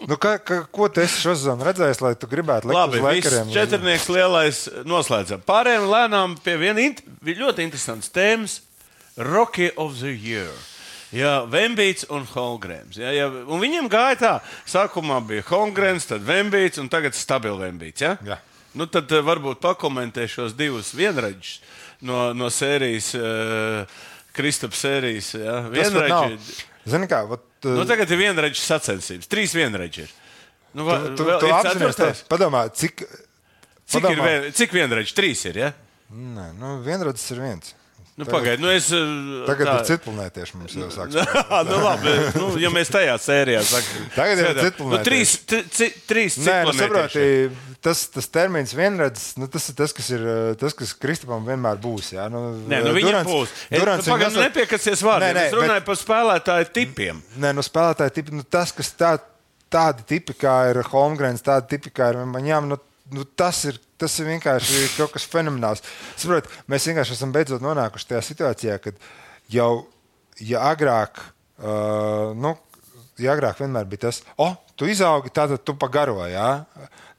nu, ka, ka, ko tu esi šo sezonu redzējis, lai tu gribētu likt Labi, uz Lakeriem? Labi, četrnieks lielais noslēdzam. Pārējiem lēnām pie viena int- ļoti interesants tēmas – Rookie of the Year. Jā, Vembīts un Holmgrens. Jā, jā, un viņiem gāja tā, sākumā bija Holmgrens, tad Vembīts un tagad stabili Vembīts. Jā? Jā. Nu, tad varbūt pakomentē šos divus vienraģus no, no sērijas, uh, Kristapa sērijas. Jā, vienraģi. Zini kā, vat, nu, tagad ir vienraģis sacensības, trīs vienraģi ir. Nu, va, tu, tu, tu apzinies tā, padomā, cik... Cik, padomā, ir vien, cik vienraģi? Trīs ir, ja? Nē, nu vienradzis ir viens. Nu, pagaid, nu es... Tagad tā... ir citplanētieši mums jau sāks. nu, labi, nu, ja mēs tajā sērijā sakam. Tagad ir citplanētieši. Nu, trīs, tri, trīs Nē, nu, saproti, citplanētieši. tas, tas termins vienradzis, nu, tas ir tas, kas ir, tas, kas Kristapam vienmēr būs, jā. Nu, nē, nu viņam Durants, būs. Durants nu, pagaid, nu, nepiekasies vārdiem. Nē, nē, es runāju bet... par spēlētāju tipiem. Nē, nu, spēlētāju tipi, nu, tas, kas tā, tādi tipi, kā ir Holmgrens, tādi tipi, kā ir Maņām, nu, nu, tas ir Tas ir vienkārši kaut kas fenomenāls. Saprot, mēs vienkārši esam beidzot nonākuši tajā situācijā, kad jau, ja agrāk, uh, nu, ja agrāk vienmēr bija tas, o, oh, tu izaugi, tātad tu pagaro, jā?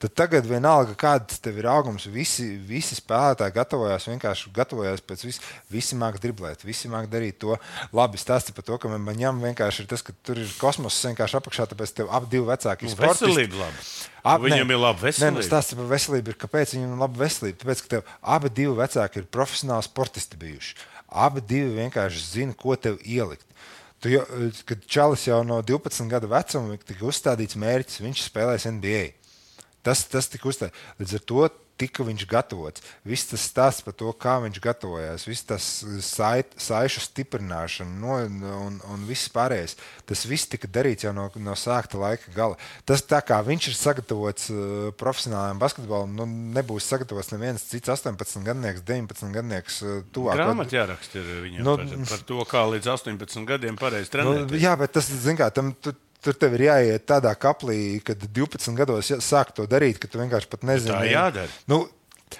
Tad tagad vienalga, kāds tev ir augums, visi, visi spēlētāji gatavojās, vienkārši gatavojās pēc vis, visi māk driblēt, visi māk darīt to. Labi, stāsti par to, ka man ņem vienkārši ir tas, ka tur ir kosmos vienkārši apakšā, tāpēc tev ap divi vecāki nu, sportisti. Veselība labi. Ab, viņam ne, ir laba veselība. Nē, nu, stāsti par veselību ir, kāpēc viņam ir laba veselība. Tāpēc, ka tev abi divi vecāki ir profesionāli sportisti bijuši. Abi divi vienkārši zina, ko tev ielikt. Tu jau, kad Čalis jau no divpadsmit gadu vecuma tika uzstādīts mērķis, viņš spēlēs N B A. Tas, tas tika uzstādīts. Līdz ar to tika viņš gatavots. Viss tas stāsts par to, kā viņš gatavojās, viss tas sait, saišu stiprināšana no, un, un viss pārējais. Tas viss tika darīts jau no, no sākta laika gala. Tas tā kā viņš ir sagatavots uh, profesionālajam basketbolam, nu nebūs sagatavots neviens cits astoņpadsmitgadnieks, deviņpadsmitgadnieks uh, tuvāk. Grāmat jāraksta ir viņam nu, par, par to, kā līdz astoņpadsmit gadiem pareizi trenēt. Nu, jā, bet tas, zin kā, tam... Tu, Tur tev ir jāiet tādā kaplī, kad divpadsmit gados sāk to darīt, ka tu vienkārši pat nezini. Tā jādara. Nu,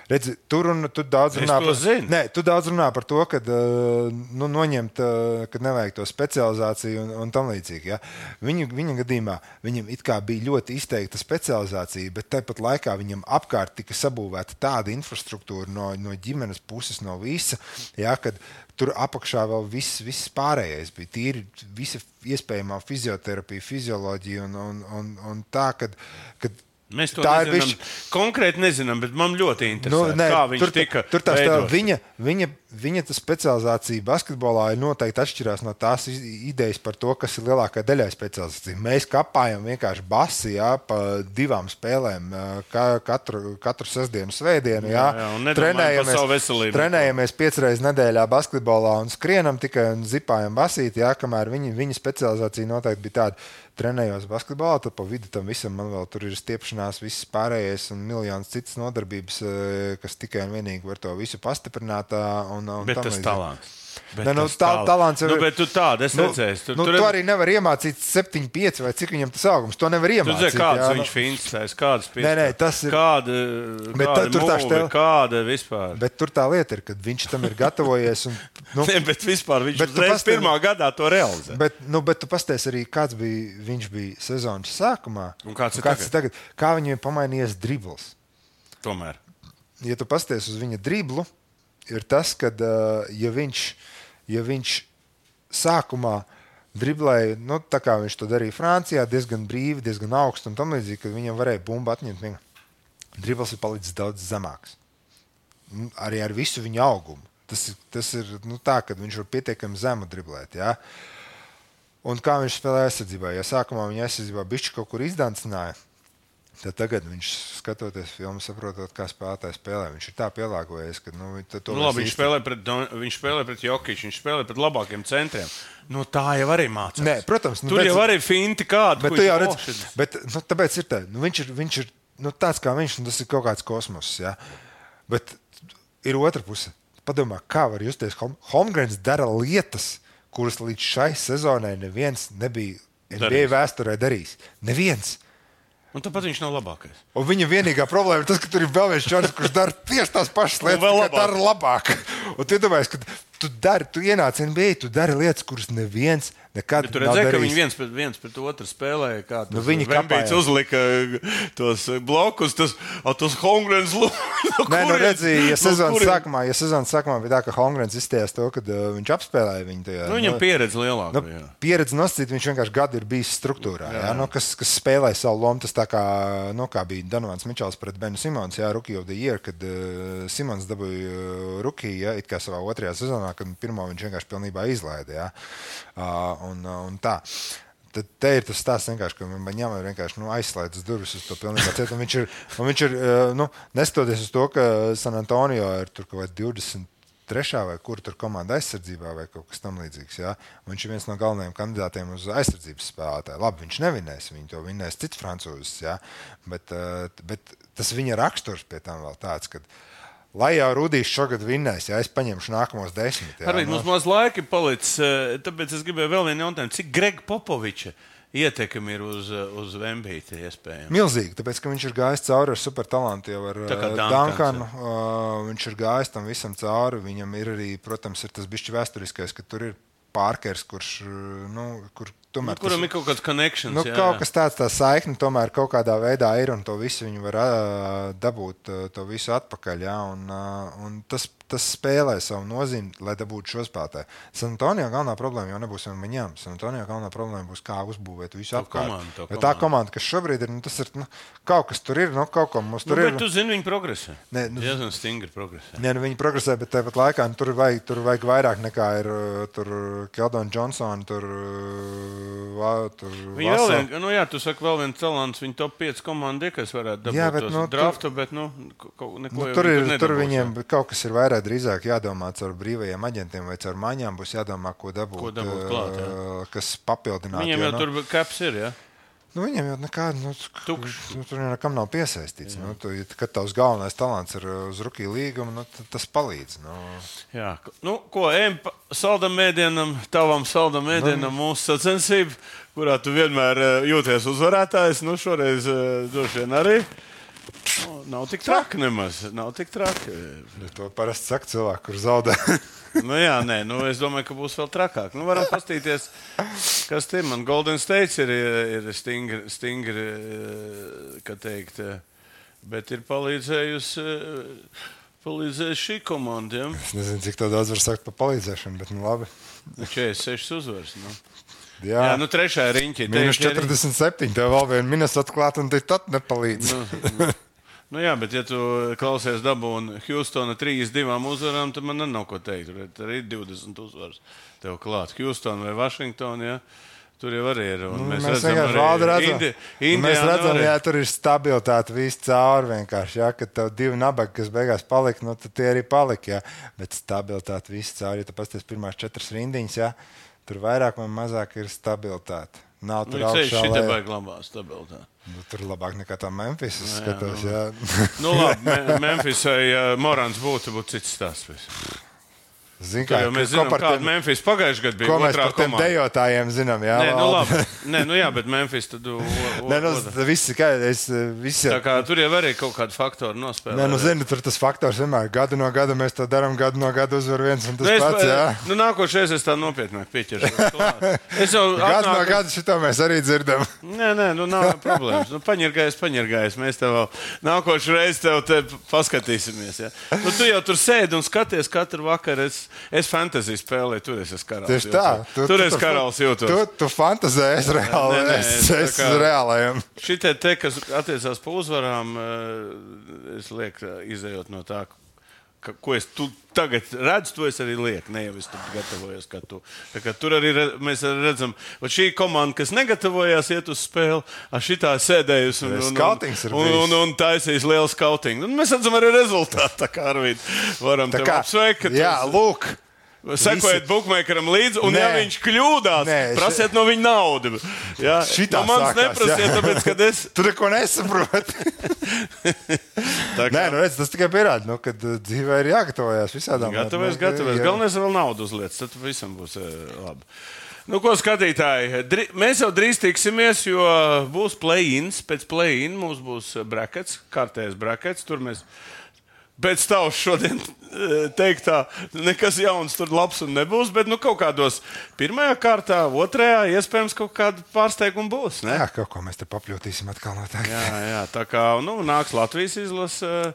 redzi, tur un tu daudz runā par to. Nē, tu daudz runā par to, kad nu, noņemt, kad nevajag to specializāciju un, un tam līdzīgi. Ja? Viņu, viņa gadījumā viņam it kā bija ļoti izteikta specializācija, bet tāpat laikā viņam apkārt tika sabūvēta tāda infrastruktūra no, no ģimenes puses, no visa, ja, kad tur apakšā vēl viss, viss pārējais bija. Tīri visa iespējamā fizioterapija, fizioloģija un, un, un, un tā, kad, kad Mēs to Tā ir nezinām, bišķi- konkrēti nezinām, bet man ļoti interesē, Nu, nē, kā viņš tur, tika tur tās tā, veidots. viņa, viņa, viņa tā specializācija basketbolā ir noteikti atšķirās no tās iz- idejas par to, kas ir lielākā daļai specializācija. Mēs kapājam vienkārši basi, jā, pa divām spēlēm, kā, katru, katru sestdienu, svētdienu, jā, Jā, jā, un nedomājam par savu veselību. trenējamies piecas reizes nedēļā basketbolā un skrienam tikai un zipājam basīt, jā, kamēr viņa, viņa specializācija noteikti bija tāda. Trenējos basketbolā, tad pa vidu tam visam man vēl tur ir stiepšanās, viss pārējais un miljonas citas nodarbības, eh, kas tikai un vienīgi var to visu pastiprināt. ā, Un, un Bet tam tas līdzīgi. talants. Bet Ne, nu, tas tā- talants jau nu, ir- bet tu tādu esi Nu, redzējis. Tur, nu, tur, tu arī nevar iemācīt septiņi, pieci vai cik viņam tas augums. To nevar Tu iemācīt. zini, kādas jā, viņš nu, finstēs, kādas Nē, nē, tas ir- Kāda, Bet kāda tā- tur tā mūve, štela- kāda vispār. Bet tur tā lieta ir, ka viņš tam ir gatavojies. Un, nu, Ne, bet vispār viņš Bet tu uzreiz pastāvi- pirmā gadā to realizē. Bet, nu, bet tu pasties arī, kāds bija viņš bija sezonas sākumā. Un kāds ir kāds ir tagad? Kā viņam ir pamainījies dribbles? Tomēr. Ja tu pasties uz viņa driblu, ir tas, ka, uh, ja viņš, ja viņš sākumā driblēja, nu, tā kā viņš to darīja Francijā, diezgan brīvi, diezgan augstu un tam līdzīgi, ka viņam varēja bumbu atņemt. Viņa dribls ir palicis daudz zemāks. Nu, Arī ar visu viņa augumu. Tas, ir- tas ir nu, tā, ka viņš var pietiekami zemu driblēt. Ja? Un kā viņš spēlēja aizsardzībā? Ja sākumā viņa aizsardzībā bišķi kaut kur izdancināja, tad tagad viņš skatoties filmu, saprotot, kā spēlētāji spēlē. Viņš ir tā pielāgojies, ka nu, to Nu, labi, viņš īsti- spēlē pret, Don- viņš spēlē pret Jokiču, viņš spēlē pret labākiem centriem. Nu, tā jau arī mācās. Nē, protams, nu, Tur bet- jau arī finti kādu. Bet ko tu viņš jau redzi, nošķir. bet, nu, tāpēc ir tā, nu, viņš ir, viņš ir nu, tāds kā viņš, un tas ir kaut kāds kosmos. Ja? Bet ir otra puse. Padomā, kā var justies. Hom- Holmgrens dara lietas, kuras līdz šai sezonai neviens nebija N B A Darījis. vēsturē darījis. Neviens. Un tāpat viņš nav labākais. Un viņa vienīgā problēma ir tas, ka tur ir vēl viens čalis, kurš dara tieši tās pašas lietas, vēl tikai dara labāk. Un tu iedomājies, ka tu dari, tu ienāc N B A, tu dari lietas, kuras neviens nekad Bet tu nav redzēji, ka darījis. viņi viens pret, viens pret otru spēlēja. Kā Nu, viņi Vembīts kapāja. uzlika tos blokus, tas, a, tos Holmgrens lūdzu. Nē, nu redzi, ja sezonas sākumā, ja sezonas sākumā bija tā, ka Holmgrens izstājās to, ka uh, viņš apspēlēja viņu tajā. Nu, viņam pieredze lielāka. Nu, jā. pieredze nosacīt, viņš vienkārši gadu ir bijis struktūrā, jā. Jā, nu, kas, kas spēlēja savu lomu. Tas tā kā, nu, kā bija Donovans Mičels pret Benu Simons, jā, Rookie of the Year, kad uh, Simons dabūja uh, Rookie, jā, it kā savā otrajā sezonā, kad pirmo viņš vienkārši pilnībā izlaida, jā, uh, un, uh, un tā. Tad te ir tas stāsts, vienkārši, ka viņam ir vienkārši nu, aizslēdzas durvis uz to pilnībā cietu. Un viņš ir, un viņš ir uh, nu, neskatoties uz to, ka San Antonio ir tur kaut vai divdesmit trešā vai kur tur komanda aizsardzībā vai kaut kas tam līdzīgs. Ja? Viņš ir viens no galvenajiem kandidātiem uz aizsardzības spēlētāju. Labi, viņš nevinēs, viņi to vinēs cits francūzis, ja? bet, uh, bet tas viņa raksturs pie tam vēl tāds, ka lai jau Rudijs šogad vinnēs, ja es paņemšu nākamos desmit. Ja? Arī mums maz laika ir palicis, eh, tāpēc es gribēju vēl vienu jautājumu. Cik Grega Popoviča ietekmi ir uz, uz Vembīti iespējams? Milzīgi, tāpēc, ka viņš ir gājis cauri ar supertalantu jau ar Tā kā uh, Duncans, Duncanu. Uh, viņš ir gājis tam visam cauri. Viņam ir arī, protams, ir tas bišķi vēsturiskais, ka tur ir Pārkers, kurš, uh, nu, kur tomēr. Nu, kuram tas, ir kaut kāds connections. nu, jā, kaut jā. kas tāds, tā saikne tomēr kaut kādā veidā ir, un to visu viņi var uh, dabūt, uh, to visu atpakaļ. Ja? Un, uh, un tas, tas spēlē savu nozīmi, lai dabūtu šo spēlētāju. San Antonio galvenā problēma jau nebūs viņam. San Antonio galvenā problēma būs, kā uzbūvēt visu To apkārt. komandu, to Jo tā komandu. komanda, kas šobrīd ir, nu, tas ir nu, kaut kas tur ir, nu, kaut ko mums Nu, tur bet ir. tu zini, viņi progresē. Nē, nu- Diezgan stingri progresē. Nē, nu, viņi progresē, bet tāpat laikā nu, tur, vajag, tur vajag vairāk nekā ir uh, tur Keldona Johnsona, tur, uh, va, tur Viņi vēl vien, nu jā, tu saki, vēl viens talants, viņa top pieci komandi, kas varētu dabūt Jā, bet, tos nu, tur- draftu, bet, nu, kaut neko Nu, jau tur, viņi ir, tur nedabūs, viņiem jā. kaut kas ir vairāk drīzāk jādomā caur brīvajiem aģentiem vai caur maiņām. Būs jādomā, ko dabūt, Ko dabūt klāt, jā. uh, kas papildinātu. Viņiem jo, jau nu, tur kaps ir, jā. Nu, viņam jau nekāda, nu, Tukšs. nu, tur jau nekam nav piesaistīts. Nu, tu, ja- kad tavs galvenais talants ir uz rookie līguma, nu, tad tas palīdz. Nu. Jā, nu, ko, ejam pa saldam mēdienam, tavam saldam mēdienam Nu. mūsu sacensību, kurā tu vienmēr eh, jūties uzvarētājs, nu, šoreiz eh, droši vien arī. Nu, nav tik traki nemaz, nav tik traki. Nu, to parasti saka cilvēki, kur zaudē. Nu, jā, nē, nu, es domāju, ka būs vēl trakāk. Nu, varam pastīties, kas te man Golden State ir, ir stingri, stingri, eh, kā teikt, eh, bet ir palīdzējusi, eh, palīdzējusi šī komanda. Ja? Es nezinu, cik to daudz var sagt par palīdzēšanu, bet nu labi. četrdesmit sešas uzvaras. Nu. Jā, jā nu trešā riņķi. Mīnus četrdesmit septiņi, tev vēl vien minus atklāt, un te tad nepalīdz. Nu, nu jā, bet ja tu klausies dabu un Hjūstona trīs divām uzvarām, tad man nav ko teikt. Tur ir divdesmit uzvaras tev klāt. Hjūstona vai Vašingtona, jā. Tur jau arī ir. Nu, mēs mēs redzam, arī redzam. Indi, Indi, mēs redzam, jā, tur ir stabilitāte viss cauri vienkārši, jā, kad tev divi nabagi, kas beigās palika, nu, tad tie arī palika, jā. Bet stabilitāte viss cauri, ja tu pasties pirmās četras rindiņas, jā, tur vairāk vai mazāk ir stabilitāte. Nav tur nu, augšā, lai... Šitā glabā stabilitāte. Nu, tur labāk nekā tā Memphis, es skatos, nu, jā. Nu labi, Me Memphisai ja Morants būtu, būtu cits stāsts. Zin, kā, mēs zinām, kāda tiem... Memphis pagājušajā gadā bija. Ko mēs par tiem komanda. Dejotājiem zinām, jā? Nē, nu labi. Nē, nu jā, bet Memphis tad... O, o, Nē, nu, viss ir kā... Es, visi... Tā kā tur jau arī kaut kādu faktoru nospēlē. Nē, nu zini, tur tas faktors vienmēr. Gadu no gada mēs to darām, gadu no gada uzvar viens un tas nu, pats, jā. Nu nākošais es tā nopietnāk pieķeršu. Es jau gadu atnāku... no gada šito mēs arī dzirdam. Nē, nē, nu nav problēmas. Nu paņirgājies, paņirgājies. Mēs tev vēl nākošu reizi tev te paskatīsimies, jā. Nu tu jau tur sēdi un skaties katru vakaru. Es, es fantasy spēlē, tur es esmu karalis. Tieši tā. Tu, tur tu, es karalis jūtos. Tu, tu fantazē, es reāli, nē, nē, es, es kā, reālajiem. Šitie te, kas attiecās pa uzvarām, es lieku, izējot no tā, ka, ko es tu tagad redzu, to es arī lieku. Ne jau es tur gatavojos, kā tu. Tā kā tur arī re, mēs arī redzam, ka šī komanda, kas negatavojās iet uz spēli, ar šitā sēdējusi un, un, un, un, un, un taisīs lielu skautingu. Un mēs redzam arī rezultātu, tā kā Arvīd varam tev apsveikt. Jā, lūk. Sekojiet bookmakeram līdzi, un nē, ja viņš kļūdās, nē, prasiet no viņa naudu. Jā, šitā no manis sākās, neprasiet, jā. Tāpēc, kad es... Tu neko nesaproti. Nē, nu redz, tas tikai pierāda, nu, kad dzīvē ir jāgatavojas visādām. Gatavojas, gatavojas. Jā. Galvenais vēl naudu uzliec, tad visam būs labi. Nu, ko skatītāji, Dri mēs jau drīz tiksimies, jo būs play-ins, pēc play-in mums būs brackets, kārtējais brackets, tur mēs... Pēc tavs šodien teiktā, nekas jauns tur labs un nebūs, bet nu kaut kādos pirmajā kārtā, otrajā iespējams kaut kāda pārsteiguma būs, ne? Jā, kaut ko mēs te papļotīsim atkal noteikti. Jā, jā, tā kā, nu, nāks Latvijas izlase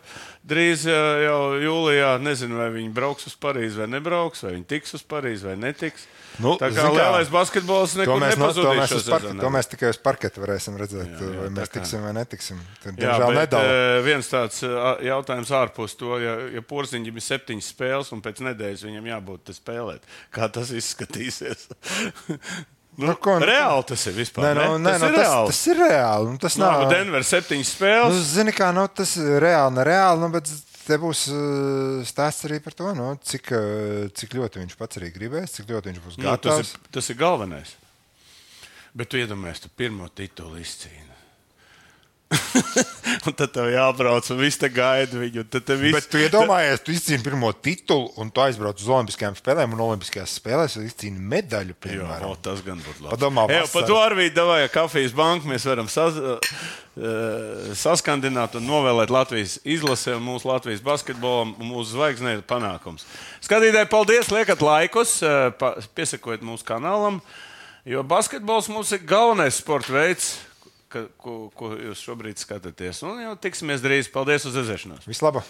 drīz jau jūlijā, nezinu, vai viņi brauks uz Parīzi vai nebrauks, vai viņi tiks uz Parīzi vai netiks. Nu, tā kā lielais basketbols nekur nepazudīs šo sezonu. To mēs tikai uz parketa varēsim redzēt, jā, jā, vai mēs tiksim vai netiksim. Tad, jā, bet nedala. Viens tāds jautājums ārpus to, ja, ja Porziņģim ir septiņas spēles un pēc nedēļas viņam jābūt te spēlēt. Kā tas izskatīsies? Nu, nu, ko, reāli tas ir vispār. Nē, nu, ne? nē, tas, nu, ir tas, tas ir reāli. Nu, tas nav... Nu, Denver septiņas spēles. Nu, zini kā, nu, tas ir reāli, nereāli, nu, bet... Te būs uh, stāsts arī par to, nu, cik, uh, cik ļoti viņš pats arī gribēs, cik ļoti viņš būs gatavs. Nu, tas, ir, tas ir galvenais. Bet tu iedomājies, tu pirmo titulu izcīni. Un tad tev jābrauc un viss te gaida viņu. Viss... Bet tu iedomājies, tu izcīni pirmo titulu un tu aizbrauc uz olimpiskajām spēlēm un olimpiskajās spēlēs izcīni medaļu, piemēram. Jā, tas gan būtu labi. Padomā, Ejo, pa to Arvīd, davai, kafijas banku mēs varam sas, uh, saskandināt un novēlēt Latvijas izlasē un mūsu Latvijas basketbolam un mūsu zvaigznēju panākums. Skatītāji, paldies, liekat laikus, uh, pa, piesakojiet mūsu kanālam, jo basketbols mums ir galvenais sporta veids, Ka, ko, ko jūs šobrīd skatāties. Un jau tiksimies drīz. Paldies uz redzēšanos. Vislabāk!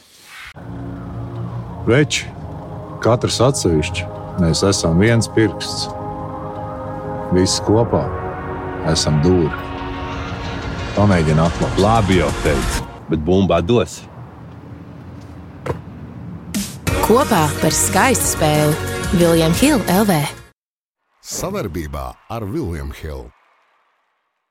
Veči, katrs atsevišķi, mēs esam viens pirksts. Visi kopā esam dūri. Pamēģini atklāt. Labi jau teicu, bet bumbā dos. Kopā par skaistu spēli William Hill L V. Savarbībā ar William Hill.